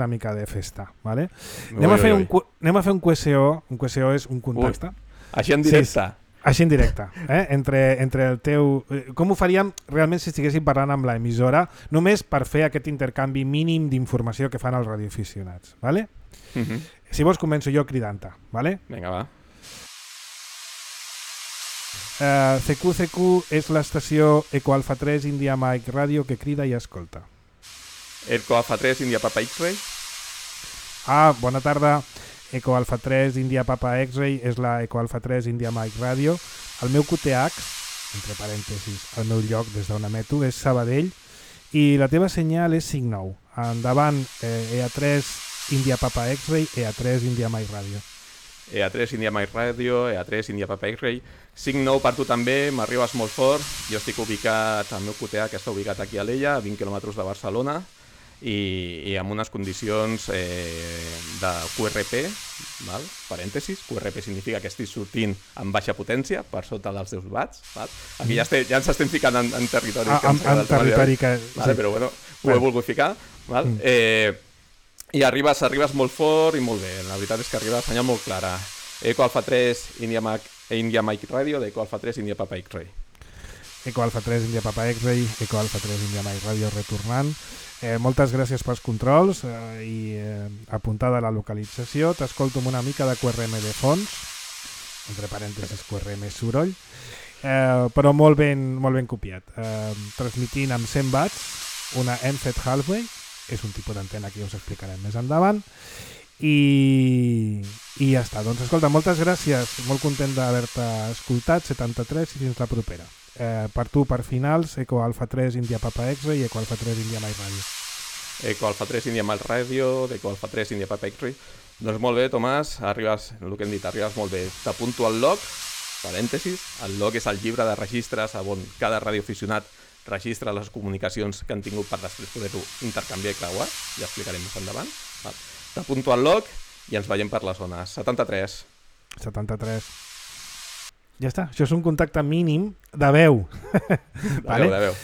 mica de festa, ¿vale? Anem a fer un QSO. Un QSO és un contacte. Així en directe. Sí, així en directe. Entre el teu... Com ho faríem realment si estiguéssim parlant amb l'emissora, només per fer aquest intercanvi mínim d'informació que fan els radioaficionats, ¿vale? Si vols començo jo cridant-te, ¿vale? Vinga, va. CQ és l'estació Eco Alfa 3 India Mike Radio que crida i escolta. Eco Alfa 3 India Papa X-Ray. Bona tarda. Eco Alfa 3 India Papa X-Ray és la Eco Alfa 3 India Mike Radio. El meu QTH, entre parèntesis, el meu lloc des d'on emeto és Sabadell i la teva senyal és 5-9. Endavant, EA3 India Papa X-Ray, EA3 India Mike Radio. EA3 India Mike Radio, EA3 India Papa X-Ray. 5-9 per tu també, m'arribes molt fort. Jo estic ubicat, el meu QTA que està ubicat aquí a l'Ella, a 20 quilòmetres de Barcelona, i amb unes condicions de QRP, val? Parèntesis, QRP significa que estic sortint amb baixa potència, per sota dels 10 watts. Val? Aquí ja ens estem ficant en territori. En territori que... Vale, però bueno, ho he volgut ficar. Val? I arribes molt fort i molt bé. La veritat és que arriba a senyal molt clara. Eco Alpha 3, India Mike Radio, d'Eco Alpha 3, India Papa X-Ray. Eco Alpha 3, India Papa X-Ray, Eco Alpha 3, India Mike Radio retornant. Moltes gràcies pels controls i apuntada la localització. T'escolto amb una mica de QRM de fons, entre parèntesis QRM soroll, però molt ben copiat. Transmitint amb 100 watts, una MFET Halfway, és un tipus d'antena que ja us explicarem més endavant, i ja està. Doncs escolta, moltes gràcies, molt content d'haver-te escoltat, 73, i fins la propera. Per tu, per finals, Eco Alpha 3 India Papa X-Ray i Eco Alpha 3 India Mike Radio. Eco Alpha 3 India Mike Radio, d'Eco Alpha 3 India Papa X-Ray. Doncs molt bé, Tomàs, arribes, el que hem dit, arribes molt bé. T'apunto al log, parèntesis, el log és el llibre de registres on cada radioaficionat registra les comunicacions que han tingut per després poder-ho intercanviar i creuar, ja explicarem més endavant. T'apunto al log i ens veiem per les zones. 73. 73. Ja està, això és un contacte mínim de veu. Vale? De veu.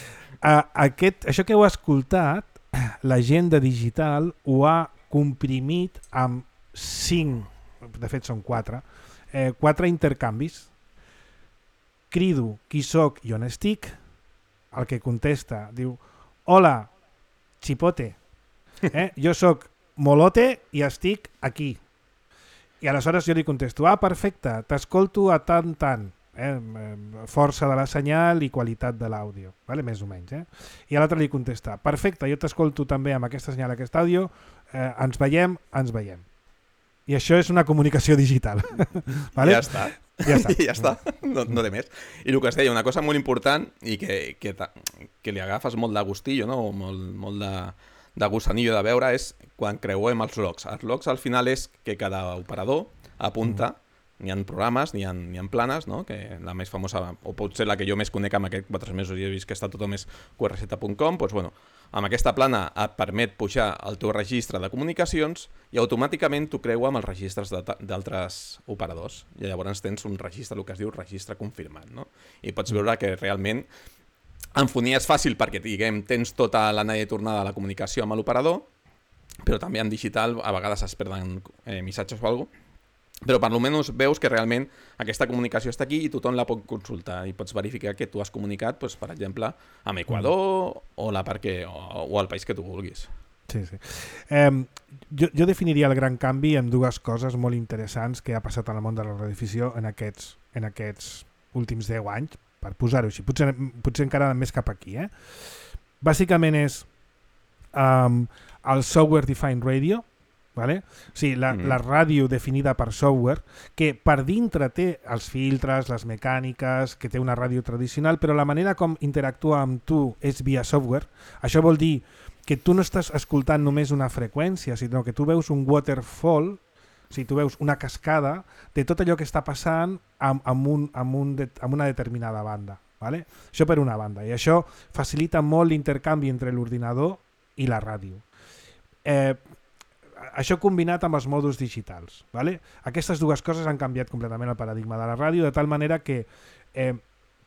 Això que heu escoltat, la gent de digital ho ha comprimit amb 5, de fet són 4 intercanvis. Crido qui soc i on estic, el que contesta diu: hola, xipote, jo soc Molote i estic aquí. I aleshores jo li contesto: perfecte, t'escolto a tant, força de la senyal i qualitat de l'àudio, vale? Més o menys. I l'altre li contesta: perfecte, jo t'escolto també amb aquesta senyal, aquest àudio, ens veiem. I això és una comunicació digital. Vale? Ja està. Ja està. No té més. I el que es deia, una cosa molt important i que li agafes molt de gustillo, no? molt de gusanillo de veure, és quan creuem els logs. Els logs al final és que cada operador apunta, n'hi ha programes, n'hi ha planes, no? Que la més famosa, o potser la que jo més conec amb aquests 4 mesos i he vist que està tothom és qrz.com, doncs bueno, amb aquesta plana et permet pujar el teu registre de comunicacions i automàticament t'ho creua amb els registres d'altres operadors. I llavors tens un registre, el que es diu registre confirmat, no? I pots veure que realment en fonia és fàcil perquè, diguem, tens tota l'anella i tornada de la comunicació amb l'operador, però també en digital a vegades es perden missatges o alguna cosa, però per almenys veus que realment aquesta comunicació està aquí i tothom la pot consultar i pots verificar que tu has comunicat, doncs, per exemple, amb Equador o el país que tu vulguis. Sí. Jo definiria el gran canvi en 2 coses molt interessants que ha passat en el món de la radiodifusió en aquests últims 10 anys, per posar-ho així, potser encara més cap aquí. Bàsicament és el Software Defined Radio, vale? O sigui, la ràdio definida per software, que per dintre té els filtres, les mecàniques, que té una ràdio tradicional, però la manera com interactua amb tu és via software. Això vol dir que tu no estàs escoltant només una freqüència, sinó que tu veus un waterfall, o sigui, tu veus una cascada de tot allò que està passant amb una determinada banda. Vale? Això per una banda. I això facilita molt l'intercanvi entre l'ordinador i la ràdio. Això combinat amb els mòduls digitals. Vale? Aquestes 2 coses han canviat completament el paradigma de la ràdio, de tal manera que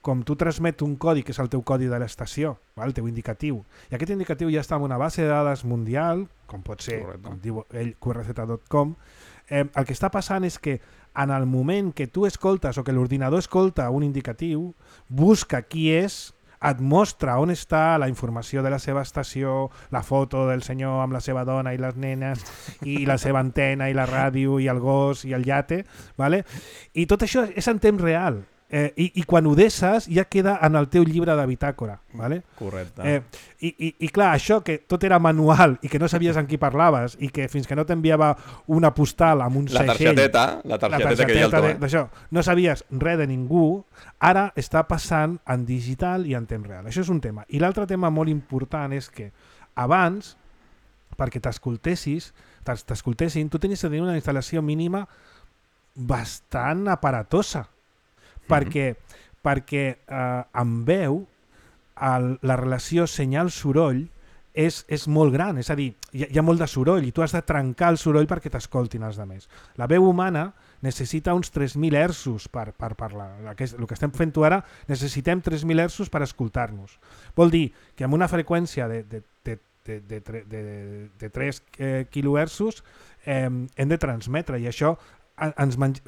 com tu transmet un codi, que és el teu codi de l'estació, el teu indicatiu, i aquest indicatiu ja està en una base de dades mundial, com pot ser, com diu ell, qrz.com, el que està passant és que en el moment que tu escoltes o que l'ordinador escolta un indicatiu, busca qui és, et mostra on està la informació de la seva estació, la foto del senyor amb la seva dona i les nenes, i la seva antena i la ràdio i el gos i el iate, vale? I tot això és en temps real. I quan ho deixes ja queda en el teu llibre de bitàcora. Vale? Correcte. I clar, això que tot era manual i que no sabies amb qui parlaves i que fins que no t'enviava una postal amb un segell... La targeteta que hi ha al teu. D'això, no sabies res de ningú, ara està passant en digital i en temps real. Això és un tema. I l'altre tema molt important és que abans, perquè t'escoltessin, tu tenies de tenir una instal·lació mínima bastant aparatosa. Perquè amb veu la relació senyal-soroll és molt gran, és a dir, hi ha molt de soroll i tu has de trencar el soroll perquè t'escoltin els altres. La veu humana necessita uns 3.000 hertzos per parlar. El que estem fent ara, necessitem 3.000 hertzos per escoltar-nos. Vol dir que amb una freqüència de de 3 kHz hem de transmetre, i això o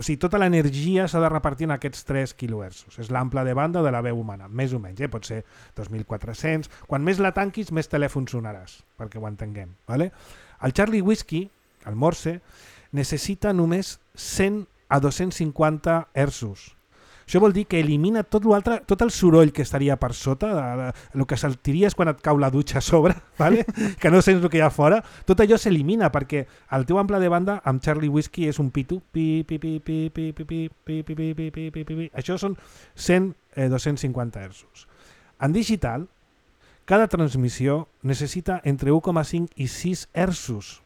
sigui, tota l'energia s'ha de repartir en aquests 3 kHz. És l'ample de banda de la veu humana, més o menys, pot ser 2.400. Quan més la tanquis, més telèfon sonaràs, perquè ho entenguem. Vale? El Charlie Whiskey, el Morse, necessita només 100 a 250 Hz. Això vol dir que elimina tot l'altre, tot el soroll que estaria per sota, el que sentiries quan et cau la dutxa a sobre, vale? Que no sents el que hi ha fora, tot allò s'elimina perquè el teu ample de banda amb Charlie Whiskey és un pitu, això són 100, 250 Hz. En digital, cada transmissió necessita entre 1,5 i 6 Hz.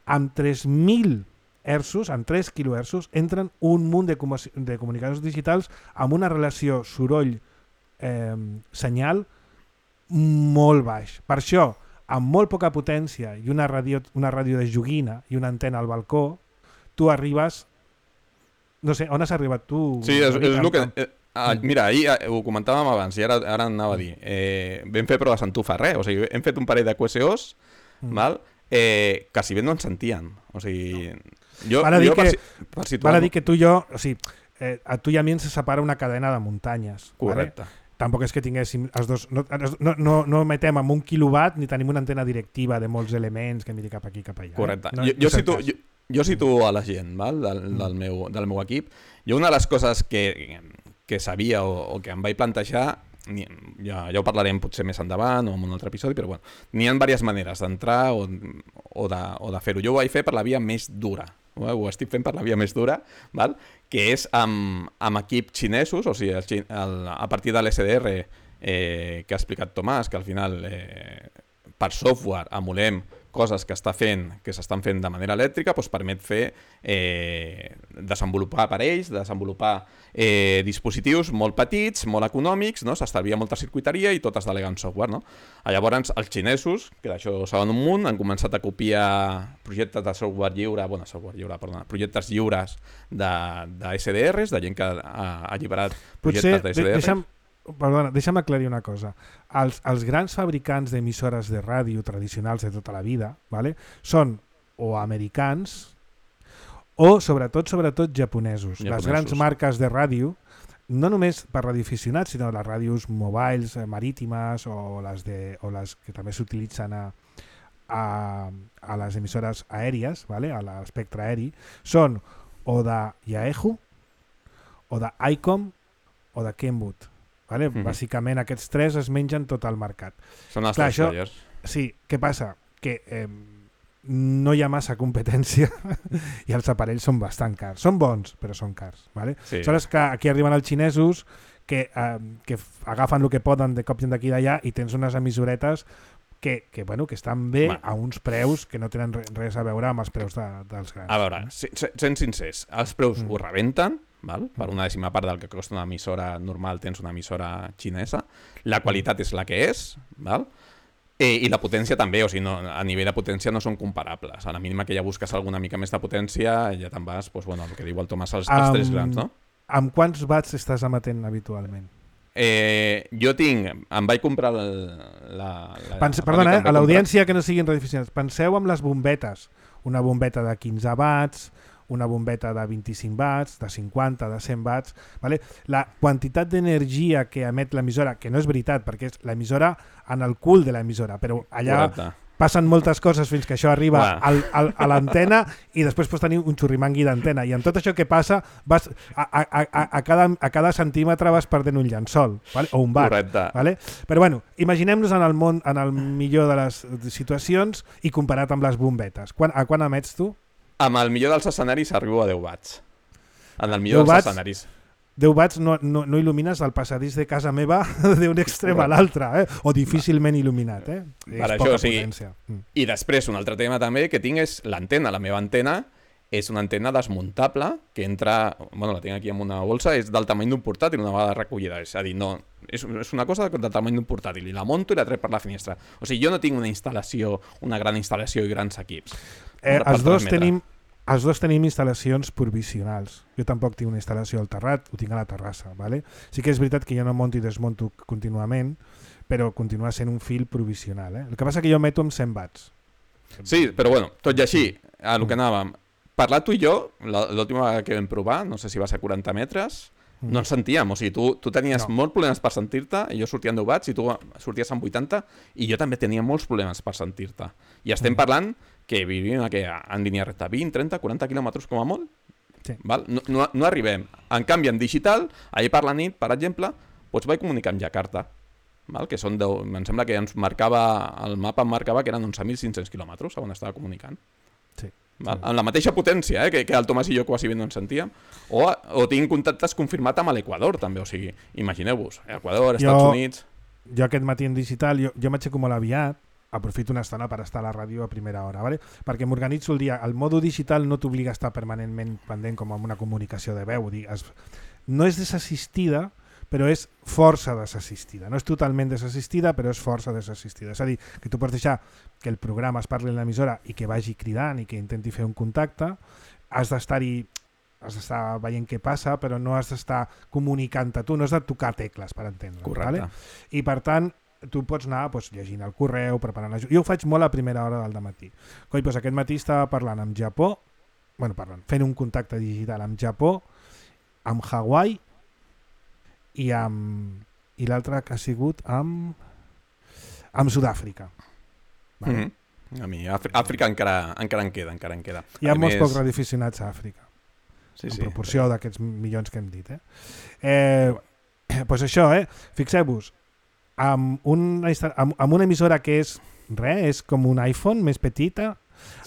Amb 3.000 Hz, amb 3 kHz, entren un munt de comunicadors digitals amb una relació soroll-senyal molt baix. Per això, amb molt poca potència i una ràdio de joguina i una antena al balcó, tu arribes... No sé, on has arribat tu? Sí, és el que... Mira, ahir ho comentàvem abans i ara anava a dir. Vam fer proves en Tufa, o sigui, hem fet un parell de QSOs, val? Que si bé no ens sentien. O sigui... Val a dir que tu i jo, o sigui, a tu i a mi ens separa una cadena de muntanyes. Correcte. Vale? Tampoc és que tinguéssim els dos... No metem amb 1 quilowatt ni tenim una antena directiva de molts elements que miri cap aquí, cap allà. Correcte. Jo situo a la gent, val? Del meu equip. Jo una de les coses que sabia o que em vaig plantejar, ja ho parlarem potser més endavant o en un altre episodi, però bueno, n'hi ha diverses maneres d'entrar o de fer-ho. Jo ho vaig fer per la via més dura. Ho estic fent per la via més dura, val? Que és amb equips xinesos, o sigui, a partir de l'SDR que ha explicat Tomàs, que al final per software emulem coses que s'estan fent de manera elèctrica, doncs permet fer desenvolupar aparells, desenvolupar dispositius molt petits, molt econòmics, no? S'estalvia molta circuiteria i tot es delega en software, no? Llavors els xinesos, que d'això saben un munt, han començat a copiar projectes de projectes lliures de SDRs, de gent que ha alliberat projectes de SDRs. Perdona, deixa'm aclarir una cosa. Els grans fabricants d'emissores de ràdio tradicionals de tota la vida, vale, són o americans o sobretot japonesos. Les grans marques de ràdio, no només per radioaficionats, sinó les ràdios mobiles, marítimes o les que també s'utilitzen a les emissores aèries, vale, a l'espectre aeri, són o de Yaesu, o de ICOM o de Kenwood. Vale? Bàsicament aquests tres es mengen tot el mercat. Són els tres players. Sí, què passa? Que no hi ha massa competència i els aparells són bastant cars. Són bons, però són cars. Vale? Sí. Aleshores que aquí arriben els xinesos que agafen el que poden de cops d'aquí i d'allà i tens unes emissoretes que estan bé a uns preus que no tenen res a veure amb els preus dels grans. A veure, sent sincers, els preus ho rebenten, val? Per una dècima part del que costa una emissora normal tens una emissora xinesa, la qualitat és la que és, val? I la potència també, o sigui, a nivell de potència no són comparables. A la mínima que ja busques alguna mica més de potència ja te'n vas, doncs, el que diu el Tomàs, els tres grans, no? Amb quants watts estàs emetent habitualment? Jo em vaig comprar Perdona, a l'audiència que no siguin radioaficionats, penseu en les bombetes. Una bombeta de 15 watts, una bombeta de 25 watts, de 50, de 100 watts. Vale? La quantitat d'energia que emet l'emissora, que no és veritat, perquè és l'emissora en el cul de l'emissora, però allà passen moltes coses fins que això arriba a l'antena i després pots tenir un xurrimangui d'antena. I amb tot això que passa, vas a cada centímetre vas perdent un llençol, vale? O un bar. Vale? Però bueno, imaginem-nos en el món, en el millor de les situacions i comparat amb les bombetes. A quan emets tu? Amb el millor dels escenaris arribo a 10 watts. En el millor dels escenaris. 10 watts no il·lumines el passadís de casa meva d'un extrem a l'altre, o difícilment il·luminat. És poca potència. I després, un altre tema també que tinc és l'antena. La meva antena és una antena desmuntable que entra, la tinc aquí en una bolsa, és del tamany d'un portàtil una vegada recollida. És a dir, no, és una cosa del tamany d'un portàtil i la monto i la trec per la finestra. O sigui, jo no tinc una gran instal·lació i grans equips. Els dos tenim instal·lacions provisionals. Jo tampoc tinc una instal·lació al terrat, ho tinc a la terrassa. Vale? Sí que és veritat que jo no monto i desmonto contínuament, però continua sent un fil provisional. El que passa que jo emeto amb 100 watts. Sí, però bueno, tot i així, a el que anàvem, parlar tu i jo, l'última vegada que vam provar, no sé si va ser 40 metres, no ens sentíem, o sigui, tu tenies molts problemes per sentir-te, i jo sortia amb 10 watts i tu sorties amb 80, i jo també tenia molts problemes per sentir-te. I estem parlant que vivim en línia recta 20, 30, 40 quilòmetres com a molt, val? No arribem. En canvi, en digital, ahir per la nit, per exemple, vaig comunicar amb Jakarta, val? Que són 10, em sembla que ens marcava, el mapa em marcava que eren 11.500 quilòmetres on estava comunicant. Sí. Val? Amb la mateixa potència que el Tomàs i jo quasi bé no ens sentíem, o tinc contactes confirmat amb l'Equador també, o sigui, imagineu-vos, Equador, Estats Units... Jo aquest matí en digital, jo m'aixeco molt aviat, aprofito una estona per estar a la ràdio a primera hora, ¿vale? Perquè m'organitzo el dia. El modo digital no t'obliga a estar permanentment pendent com amb una comunicació de veu. No és desassistida, però és força desassistida. No és totalment desassistida, però és força desassistida. És a dir, que tu pots deixar que el programa es parli en l'emissora i que vagi cridant i que intenti fer un contacte, has d'estar veient què passa, però no has d'estar comunicant-te tu, no has de tocar tecles, per entendre. Correcte. ¿vale? I per tant, tu pots anar llegint el correu, preparant la... Jo ho faig molt a primera hora del dematí. Coi, aquest matí estava parlant amb Japó, fent un contacte digital amb Japó, amb Hawaii i l'altre que ha sigut amb Sud-àfrica. Vale? A mi, Àfrica encara en queda. Hi ha molts pocs radioaficionats a Àfrica, en proporció d'aquests milions que hem dit. Pues això, fixeu-vos, amb una emissora que és com un iPhone més petita,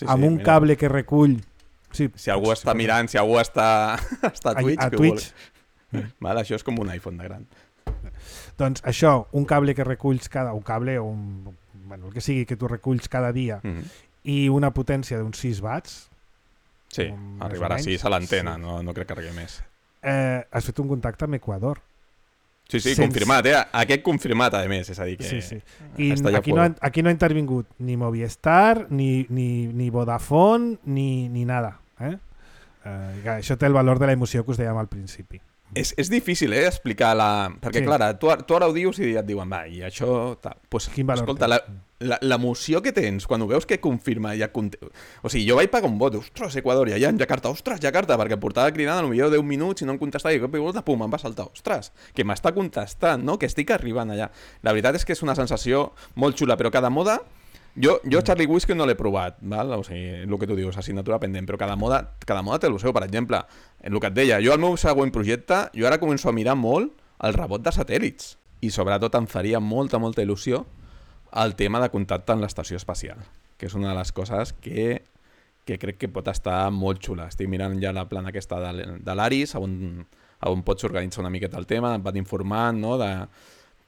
amb un cable que recull... Si algú està mirant, si algú està a Twitch, vale, això és com un iPhone de gran. Doncs això, un cable que reculls el que sigui que tu reculls cada dia i una potència d'uns 6 watts. Sí, arribarà a 6 a l'antena, no crec que arribi més. Has fet un contacte amb Equador. Sí, confirmat, Aquest confirmat, a més, és a dir que... Sí. I aquí no ha intervingut ni Movistar, ni Vodafone, ni nada. Això té el valor de la emoció que us dèiem al principi. És difícil, explicar perquè, clar, tu ara ho dius i et diuen, va, i això... Pues, escolta, l'emoció que tens quan ho veus que confirma... O sigui, jo vaig pagar un vot, ostres, Equador, i allà en Jakarta, perquè em portava cridant potser 10 minuts i no em contestava, i pum, em va saltar, ostres, que m'està contestant, no? Que estic arribant allà. La veritat és que és una sensació molt xula, però cada moda... Jo Charlie Whiskey no l'he provat, val? O sigui, el que tu dius, assignatura pendent, però cada moda té el seu. Per exemple, el que et deia, jo al meu següent projecte, jo ara començo a mirar molt el rebot de satèl·lits i sobretot em faria molta il·lusió el tema de contacte amb l'estació espacial, que és una de les coses que crec que pot estar molt xula. Estic mirant ja la plana aquesta de l'Aris, on pots organitzar una miqueta el tema, et van informant, no?, de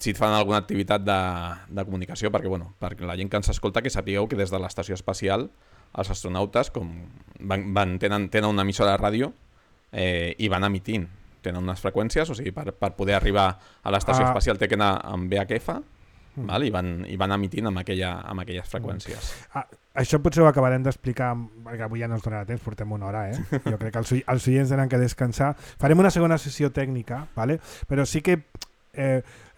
si et fan alguna activitat de comunicació, perquè la gent que ens escolta que sapigueu que des de l'estació espacial els astronautes tenen una emissora de ràdio i van emitint, tenen unes freqüències, o sigui, per poder arribar a l'estació espacial té que anar amb VHF, val? I van emitint amb aquelles freqüències. Això potser ho acabarem d'explicar, perquè avui ja no ens donarà temps, portem una hora, Jo crec que els oients tenen que descansar. Farem una segona sessió tècnica, ¿vale? Però sí que...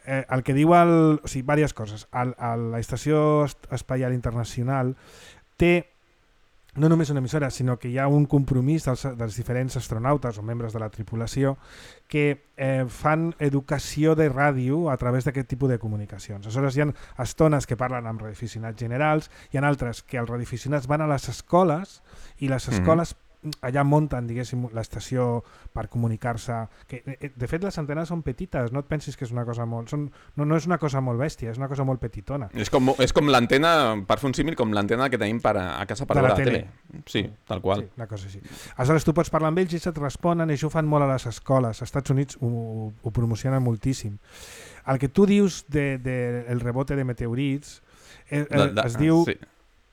el que diu diverses coses. L'Estació Espacial Internacional té no només una emissora, sinó que hi ha un compromís dels diferents astronautes o membres de la tripulació que fan educació de ràdio a través d'aquest tipus de comunicacions. Aleshores hi ha estones que parlen amb radioaficionats generals, hi ha altres que els radioaficionats van a les escoles i les escoles allà munten, diguéssim, l'estació per comunicar-se. De fet, les antenes són petites, no et pensis que és una cosa molt... No és una cosa molt bèstia, és una cosa molt petitona. És com l'antena, per fer un símil, com l'antena que tenim a casa per veure la tele. Sí, tal qual. Sí, una cosa així. Aleshores, tu pots parlar amb ells i et responen, i això ho fan molt a les escoles. Als Estats Units ho promocionen moltíssim. El que tu dius del rebote de meteorits es diu... Sí.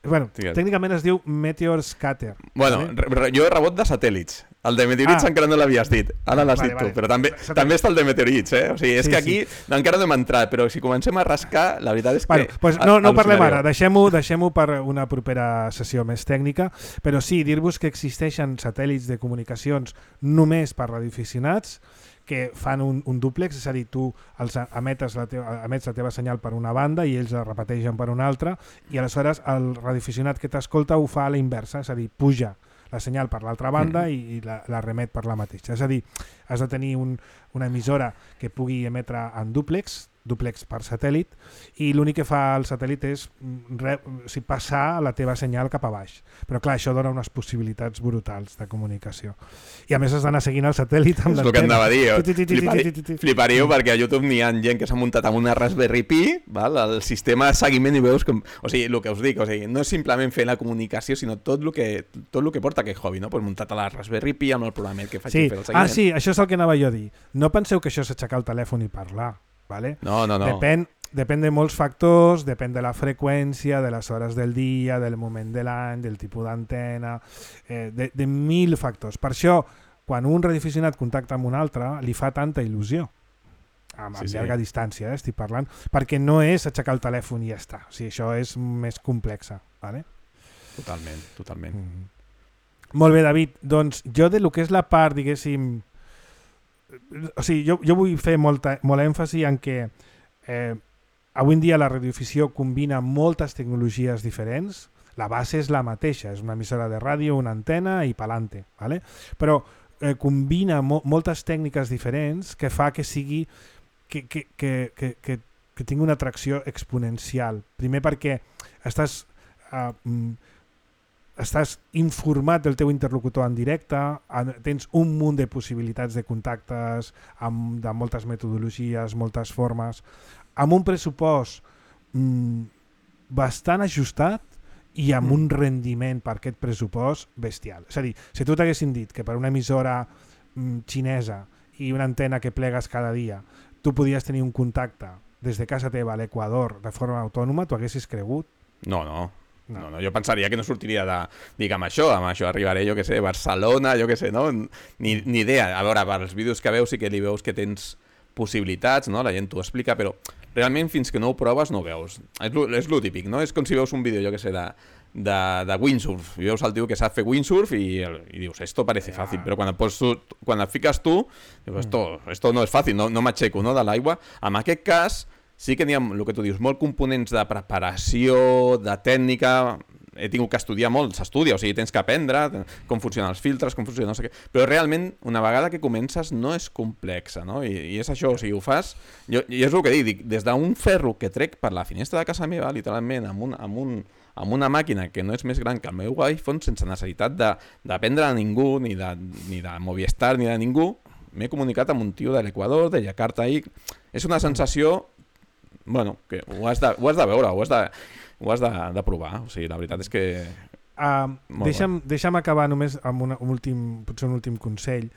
Bueno, tècnicament es diu Meteor Scatter. Bueno, jo he rebot de satèl·lits. El de meteorits encara no l'havies dit. Ara l'has dit tu, però també està el de meteorits, O sigui, és que aquí encara no hem entrat, però si comencem a rascar, la veritat és que... No parlem ara, deixem-ho per una propera sessió més tècnica, però sí, dir-vos que existeixen satèl·lits de comunicacions només per radioaficionats que fan un dúplex, és a dir, tu emets la teva senyal per una banda i ells la repeteixen per una altra, i aleshores el radioaficionat que t'escolta ho fa a la inversa, és a dir, puja la senyal per l'altra banda i la remet per la mateixa. És a dir, has de tenir una emissora que pugui emetre en dúplex per satèl·lit, i l'únic que fa el satèl·lit és passar la teva senyal cap a baix. Però clar, això dona unes possibilitats brutals de comunicació. I a més has d'anar seguint el satèl·lit amb l'antena. És el que anava a dir. Fliparíeu perquè a YouTube n'hi ha gent que s'ha muntat amb una Raspberry Pi, val? El sistema de seguiment, i veus com... O sigui, el que us dic, no és simplement fer la comunicació, sinó tot el que porta aquest hobby, no? Pues muntat a la Raspberry Pi amb el programet que faig fer el seguiment. Sí, això és el que anava jo a dir. No penseu que això és aixecar el telèfon i parlar. ¿Vale? No. Depèn de molts factors, depèn de la freqüència, de les hores del dia, del moment de l'any, del tipus d'antena, de 1000 factors. Per això, quan un radioaficionat contacta amb un altre, li fa tanta il·lusió, amb llarga distància, estic parlant, perquè no és aixecar el telèfon i ja està. O sigui, això és més complexa. ¿Vale? Totalment. Molt bé, David. Doncs jo de lo que és la part, diguéssim... O sigui, jo vull fer molt èmfasi en que avui en dia la radioafició combina moltes tecnologies diferents. La base és la mateixa, és una emissora de ràdio, una antena i pa'lante, ¿vale? Però combina moltes tècniques diferents que fa que sigui que tingui una atracció exponencial. Primer perquè estàs informat del teu interlocutor en directe, tens un munt de possibilitats de contactes, de moltes metodologies, moltes formes, amb un pressupost bastant ajustat i amb un rendiment per aquest pressupost bestial. És a dir, si tu t'haguessin dit que per una emissora xinesa i una antena que plegues cada dia tu podies tenir un contacte des de casa teva a l'Equador de forma autònoma, tu haguessis cregut? No, jo pensaria que no sortiria amb això arribaré, jo que sé, Barcelona, jo que sé, no? Ni idea. A veure, per els vídeos que veus sí que li veus que tens possibilitats, no? La gent t'ho explica, però realment fins que no ho proves no ho veus. És lo típic, no? És com si veus un vídeo, jo que sé, de windsurf, i veus el tio que sap fer windsurf i dius, esto parece fàcil, però quan et fiques tu, dius, esto no és fàcil, no m'aixeco, no, de l'aigua. En aquest cas, sí que n'hi ha, el que tu dius, molts components de preparació, de tècnica. He tingut que estudiar molt, s'estudia, o sigui, tens que aprendre com funcionen els filtres, com funciona no sé què, però realment, una vegada que comences, no és complexa, no? I és això, o sigui, ho fas... I és el que dic, des d'un ferro que trec per la finestra de casa meva, literalment, amb una màquina que no és més gran que el meu iPhone, sense necessitat d'aprendre a ningú, ni de Movistar, ni de ningú, m'he comunicat amb un tio de l'Equador, de Jakarta, ahí. És una sensació... Bueno, que ho has de veure, ho has de provar. O sigui, la veritat és que... Deixa'm acabar només amb potser un últim consell.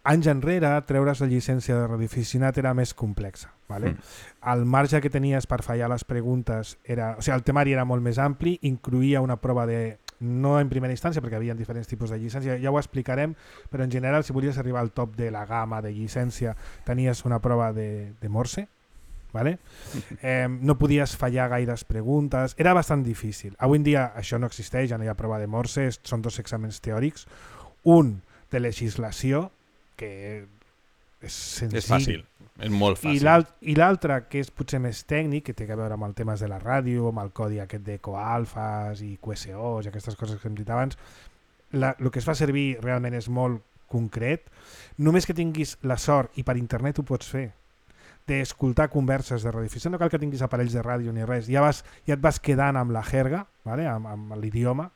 Anys enrere, treure's la llicència de radioaficionat era més complexa. ¿Vale? El marge que tenies per fallar les preguntes o sigui, el temari era molt més ampli, incluïa una prova no en primera instància, perquè hi havia diferents tipus de llicència, ja ho explicarem, però en general, si volies arribar al top de la gamma de llicència, tenies una prova de Morse, ¿vale? No podies fallar gaires preguntes, era bastant difícil. Avui en dia això no existeix, ja no hi ha prova de Morse, són 2 exàmens teòrics, un de legislació, que és senzill. És fàcil, és molt fàcil. I l'altre, que és potser més tècnic, que té a veure amb el temes de la ràdio, amb el codi aquest de coalfas i QSOs i aquestes coses que hem dit abans, el que es fa servir realment és molt concret. Només que tinguis la sort, i per internet ho pots fer, d'escoltar converses de radioafició, no cal que tinguis aparells de ràdio ni res, ja et vas quedant amb la jerga, ¿vale? amb l'idioma,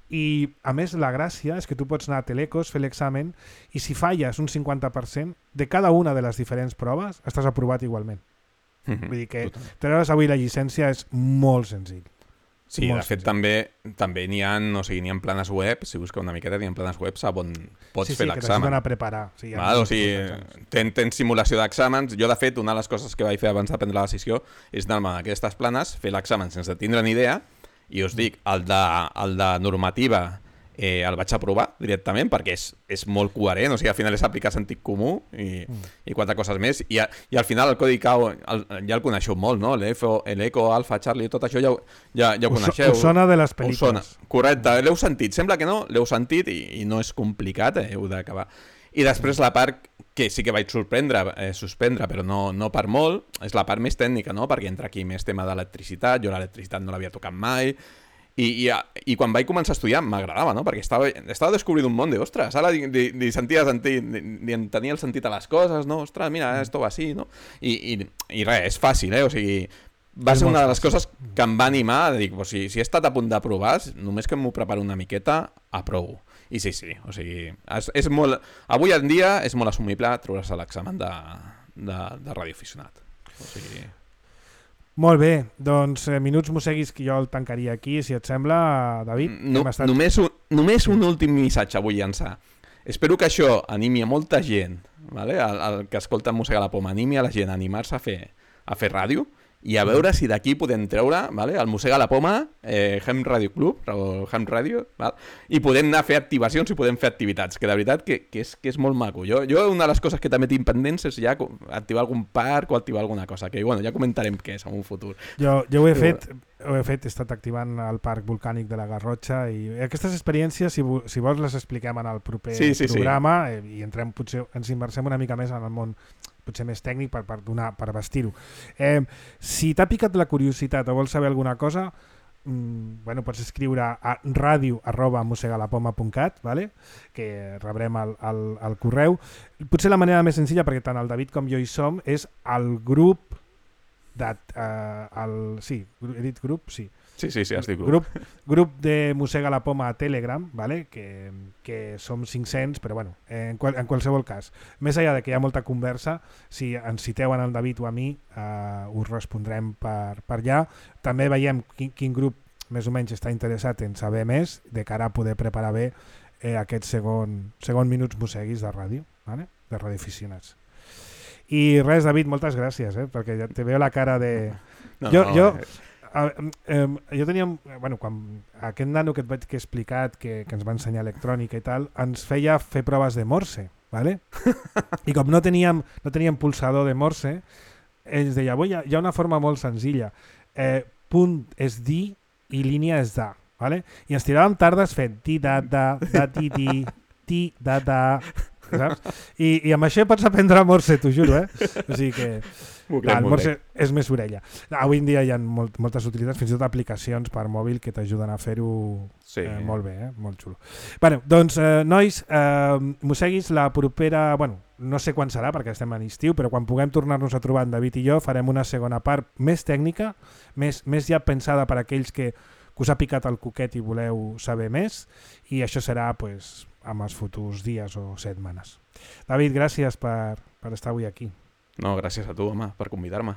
i a més la gràcia és que tu pots anar a Telecos, fer l'examen, i si falles un 50% de cada una de les diferents proves, estàs aprovat igualment. Vull dir que treure's avui la llicència és molt senzill. Sí, de fet també n'hi ha, o sigui, n'hi ha planes web, si busques una miqueta, n'hi ha planes web on pots fer l'examen. Sí, que t'ajuden a preparar. O sigui, tens simulació d'exàmens. Jo, de fet, una de les coses que vaig fer abans de prendre la decisió és anar-me a aquestes planes, fer l'examen sense tindre ni idea, i us dic, el de normativa el vaig aprovar directament perquè és molt coherent, o sigui, al final és aplicar sentit comú i 4 coses més, i al final el codi CAO ja el coneixeu molt, no? L'Eco, Alfa, Charlie, tot això ja ho coneixeu. Us sona de les pel·lícules. Correcte, l'heu sentit, sembla que no, l'heu sentit i no és complicat, heu d'acabar. I després la part que sí que vaig suspendre, però no per molt, és la part més tècnica, no? Perquè entra aquí més tema d'electricitat, jo l'electricitat no l'havia tocat mai, i quan vaig començar a estudiar m'agradava, no? Perquè estava descobrint un món ostres, ara tenia el sentit a les coses, no? Ostres, mira, esto va així, no? I res, és fàcil, o sigui, va ser una de les coses que em va animar a dir, si he estat a punt d'aprovar, només que m'ho preparo una miqueta, aprovo. I sí, o sigui, és molt... Avui en dia és molt assumible treure's l'examen de radioaficionat. O sigui... Molt bé, doncs minuts mosseguis que jo el tancaria aquí, si et sembla, David. Només un últim missatge vull llançar. Espero que això animi a molta gent, vale? El que escolta Mossega la Poma, animi a la gent a animar-se a fer ràdio, i a veure si d'aquí podem treure, vale, el Mossega la Poma, Hem Radio Club, o Hem Radio, val? I podem anar a fer activacions i podem fer activitats, que de veritat que és molt maco. Jo una de les coses que també tinc pendents és ja activar algun parc o activar alguna cosa, que bueno, ja comentarem què és en un futur. Jo ho he fet, he estat activant el parc volcànic de la Garrotxa, i aquestes experiències, si vols, les expliquem en el proper programa, i entrem, potser ens immersem una mica més en el món potser més tècnic per vestir-ho. Si t'ha picat la curiositat o vols saber alguna cosa, pots escriure a radio@mossegalapoma.cat, vale? Que rebrem el correu. Potser la manera més senzilla, perquè tant el David com jo hi som, és el grup he dit grup? Sí. Sí, has dit grup. Grup de Mossega la Poma a Telegram, vale? que som 500, però bueno, en qualsevol cas. Més enllà de que hi ha molta conversa, si ens citeu en el David o a mi, us respondrem per allà. També veiem quin grup més o menys està interessat en saber més, de cara a poder preparar bé aquest segon minuts mosseguis de ràdio, vale? De radioaficionats. I res, David, moltes gràcies, perquè ja te veo la cara de... Jo tenia... quan aquest nano que he explicat, que ens va ensenyar electrònica i tal, ens feia fer proves de Morse, ¿vale? I com no teníem pulsador de Morse, ens deia, hi ha una forma molt senzilla. Punt és dir i línia és da, ¿vale? I ens tiràvem tardes fent ti-da-da, da-ti-ti, ti-da-da, saps? I amb això pots aprendre Morse, t'ho juro, O sigui que... el Morse és més orella. Avui en dia hi ha moltes utilitats, fins i tot aplicacions per mòbil que t'ajuden a fer-ho molt bé, molt xulo. Bueno, doncs, nois, mosseguis la propera... no sé quan serà perquè estem en estiu, però quan puguem tornar-nos a trobar en David i jo farem una segona part més tècnica, més ja pensada per aquells que us ha picat el coquet i voleu saber més, i això serà amb els futurs dies o setmanes. David, gràcies per estar avui aquí. No, gràcies a tu, home, per convidar-me.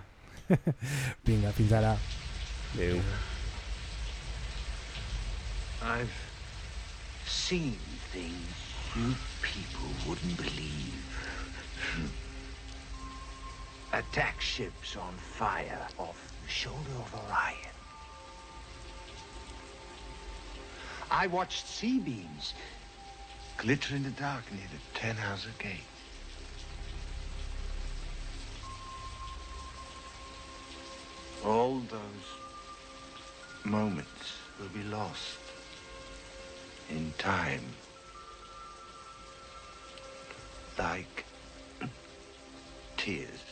Vinga, fins ara. Adéu. I've seen things you people wouldn't believe. Attack ships on fire off the shoulder of Orion. I watched sea beams glitter in the dark near the Tannhauser Gate. All those moments will be lost in time, like tears.